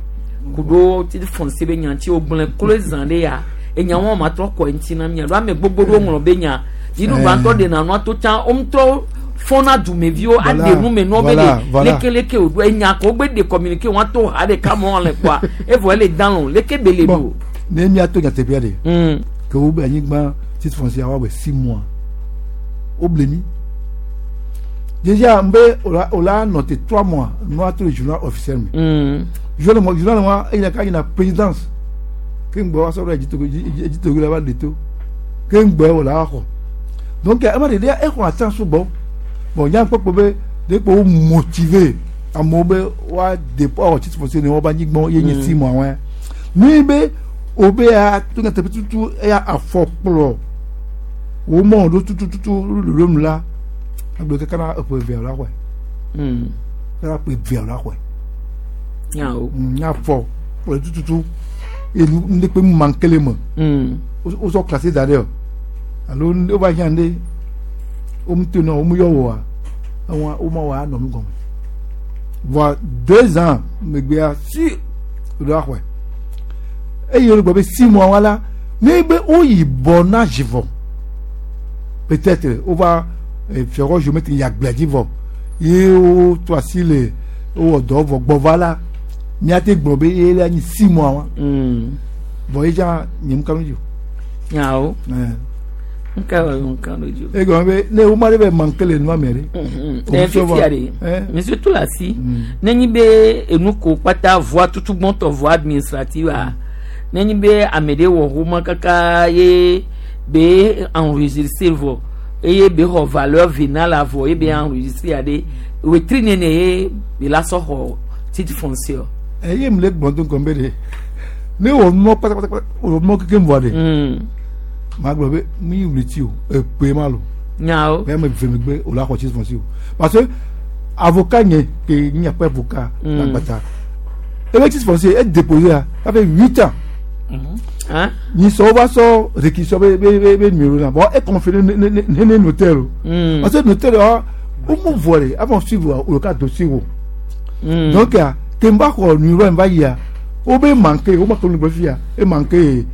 A: kuɖo titre foncier be nya ŋuti wogblẽ kloe zã ɖe ya enya wɔn ma trɔ kɔ eŋuti na mia ɖo ame gbogbo ɖewo ŋlɔ be nya dziɖuɖua
U: Eh.
A: ŋutɔ ɖena nua to tsã wo ŋutɔ fɔna dumeviwo
U: Voilà,
A: aɖe nu me nua be
U: voilà,
A: ɖe
U: voilà.
A: lekeleke o ɖo enya ko wogbe de communiqué wɔn to ha ɖeka mɔ le kɔa evɔ ele dan lɔ leke be le ɖo.
U: Ne mia to nyateƒea de.
A: Mm.
U: Ke wo be anyigba titre foncier wa be six mois wo ble mi déjà n be o la o la noté trois mois nua to le journal officiel me.
A: Mm.
U: Journal mo journal wa eyi ka yina présidence ke ŋgbɔ wa sɔrɔ Edzitogo Edzitogo la va le to ke ŋgbɔ o la xɔ donc ema de ɖe exɔ atan sugbɔ bon nya kpɔkpɔ be de kpo wo motiver amewo be wa dépôt awɔ titre foncier ne wɔba anyigba ye nye
A: Mm.
U: six mois wɛ nui be o be ya to nyateƒe tutu eya afɔ kplɔ wo mɔ ɖo tutututu lolo nu la agbe kaka na eƒe evea la xɔe
A: Mm.
U: kaka na ƒe evea la xɔe
A: Nyawo.
U: nya fɔ kplɔ tututu enu ŋdekpe mu mankele me
A: Mm.
U: wo sɔ classé da ɖe o alo wo va hiã ɖe wo mu to nɔ wo mu yɔ woa ewa wo ma wɔ anɔ nu gɔme voa deux ans megbea si ɖo axɔe eye wo gbɔ be six mois wa la ne be wo yi bɔ na zivɔ peut-être wo va fiɔrɔ géomètre yi agblea dzi vɔ ye wo to asi le wowɔ dɔ vɔ gbɔ va la míate gblɔ be ye le anyi six mois wa
A: Mm.
U: vɔ ye dza nye mu kanu dzi o.
A: Nyawo.
U: Ɛɛ.
A: Nka wa nka do jo.
U: E gɔmɛ be ne woma de bɛ manque le nua mɛ de.
A: Ɛ fifia de monsieur Toulassi ne nyi be enu ko kpata voie tutugbɔntɔ voie administrative a ne nyi be ame ɖe wɔ xoma kaka ye be enregistré vɔ eye be xɔ valeur vénale la vɔ ye be enregistré aɖe wetri nene ye be la sɔ xɔ titre foncier.
U: Eye mu le gblɔ do gɔmɛ de ne wɔ nua pátápátá wɔ nua keke vɔ de. Maa gblɔ be mi yi wuli ti o ekpe ma lo.
A: Nyawo.
U: Bẹ́ẹ̀ mi fẹ́ mi gbé o la xɔ titre foncier o parce que avocat nye ke nye akpɛ avocat l'agbata ebe titre foncier e déposé a ça fait huit ans. Nyi sɔ va sɔ réquisition be be be be numéro na bon e conféré ne ne ne ne notaire o. Parce que notaire wa o mu vɔ de avant suivre o ka dossier o. Donc a ke n ba xɔ numéro n ba yia o be manqué o ma to nugbɛ fia e manqué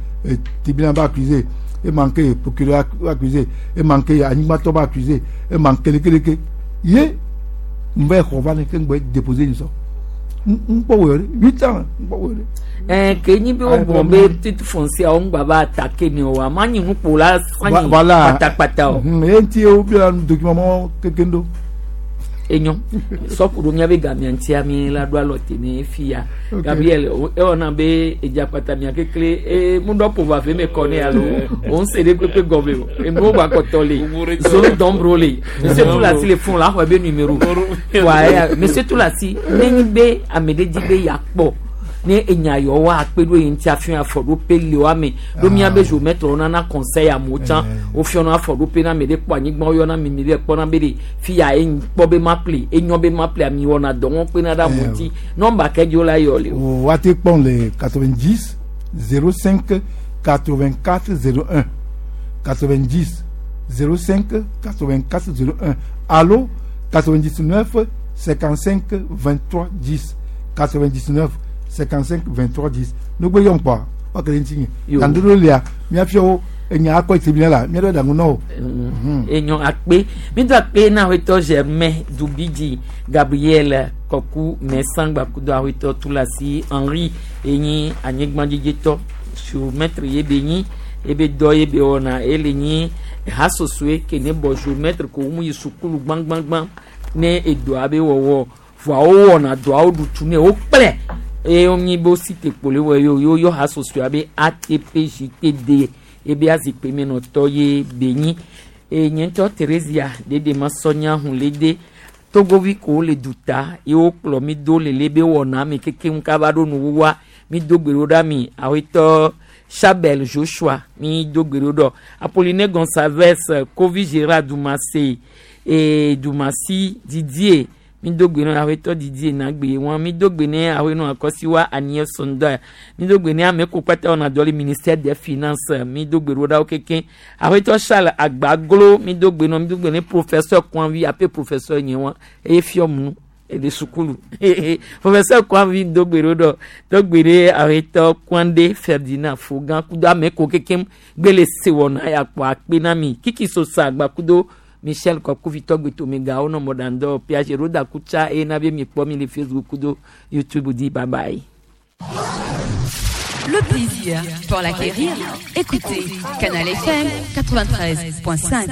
U: tribunal ba accusé e manqué procureur accusé e manqué anyigbatɔ ba accusé e manqué lekeleke ye n bɛ xɔ va ne ke n gbɛ déposé nyi sɔ n kpɔ wo yɔ de huit ans n kpɔ wo yɔ de.
A: Ɛɛ ke nyi be wo gblɔ be titre foncier wo ŋgba va attaquer ni o wa ma nyi nukpo la sanyi kpatakpata o.
U: Ye ŋuti wo bia document mɔ kekeŋ do.
A: Enyo sɔku ɖo miabe gamia ŋutia mi la ɖo alɔ te ne fia Gabriel ewɔna be edzakpata mia kekle ee mu ɖɔ ƒo va fe me kɔ ne alo o ŋu se ɖe kpekpe gɔme o enuwo gba kɔtɔ le zone d'ombre le monsieur Toulassi le fún la xɔ ebe numéro wa eya monsieur Toulassi ne nyi be ame ɖe dzi be yakpɔ ne enya yɔ wa akpe ɖo yi ŋuti afi afɔɖoƒe le wa me ɖo miabe géomètre wo nana conseil amewo tsã wofiɔna afɔɖoƒe na ame ɖe kpɔ anyigba woyɔna mi mi ɖe kpɔna be ɖe fi ya ye kpɔ be ma ple enyɔ be ma ple ami wɔna dɔ ŋɔ kpena ɖe amewo ŋuti nɔmba ke dzi wo la yɔ le
U: o. Woate kpɔm le quatre-vingt-dix zéro cinq quatre-vingt-quatre zéro un quatre-vingt-dix zéro cinq quatre-vingt-quatre zéro un allo quatre-vingt-dix-neuf cinquante-cinq vingt-trois dix quatre-vingt-dix-neuf cinquante-cinq vingt-trois dix nugbe yɔn kpɔ wa kele ŋuti nye kandodo lia miafiawo enya akɔ tribunal la miaɖo ɖaŋu na o.
A: Enyo akpe mi do akpe na awetɔ Germain Dubidzi Gabriel Kɔku Mɛsangba kudo awetɔ Toulassi Henri enyi anyigbadzidzitɔ géomètre ye be nyi ebe dɔ ye be wɔna ele nyi hasosoe ke ne bɔ géomètre ko mu yi sukulu gbãgbãgbã ne edoa be wɔwɔ voa wowɔna dɔawo ɖutu ne wo kplɛ eye wonyi be wosi te kpo le wɔ ye o yɔ hasosoa be A T P J T D ebe azikpui menɔtɔ ye be nyi eye nye ŋutɔ Theresia ɖeɖe ma sɔnya hun le de togovi ko le duta ye wokplɔ mi do le le be wɔna mi kekeŋ kaba ɖo nuwuwua mi do gbe ɖo ɖa mi awetɔ Chabel Joshua mi do gbe ɖo ɖɔ Apolline Gonçalves Kovi Gérard Dumase e Dumasi Didier mi do gbe ne awetɔ Didier nagbe wọn mi do gbe ne awenɔ akɔsiwa Aniel Sonda mi do gbe ne ame ko kpata wɔna dɔ le ministère des finances mi do gbe ɖo ɖa wo keke awetɔ Charles Agbaglo mi do gbe ne mi do gbe ne professeur Kwanvi ape professeur nye wọn eye fiɔ mu ele sukulu professeur Kwanvi do gbe ɖo ɖɔ do gbe ɖe awetɔ Kwande Ferdinand Fogan kudo ame ko keke gbele se wɔna ya kpɔ akpe na mi Kiki Sosa agba kudo Michel Kɔkuvi tɔgbe tomegawo nɔ mɔɖaŋdɔ Piaget Roda Kutsa eye na be mi kpɔ mi le Facebook kudo YouTube di bye bye.
R: Le plaisir, pour l'acquérir, écoutez Canal F M quatre-vingt-treize point cinq.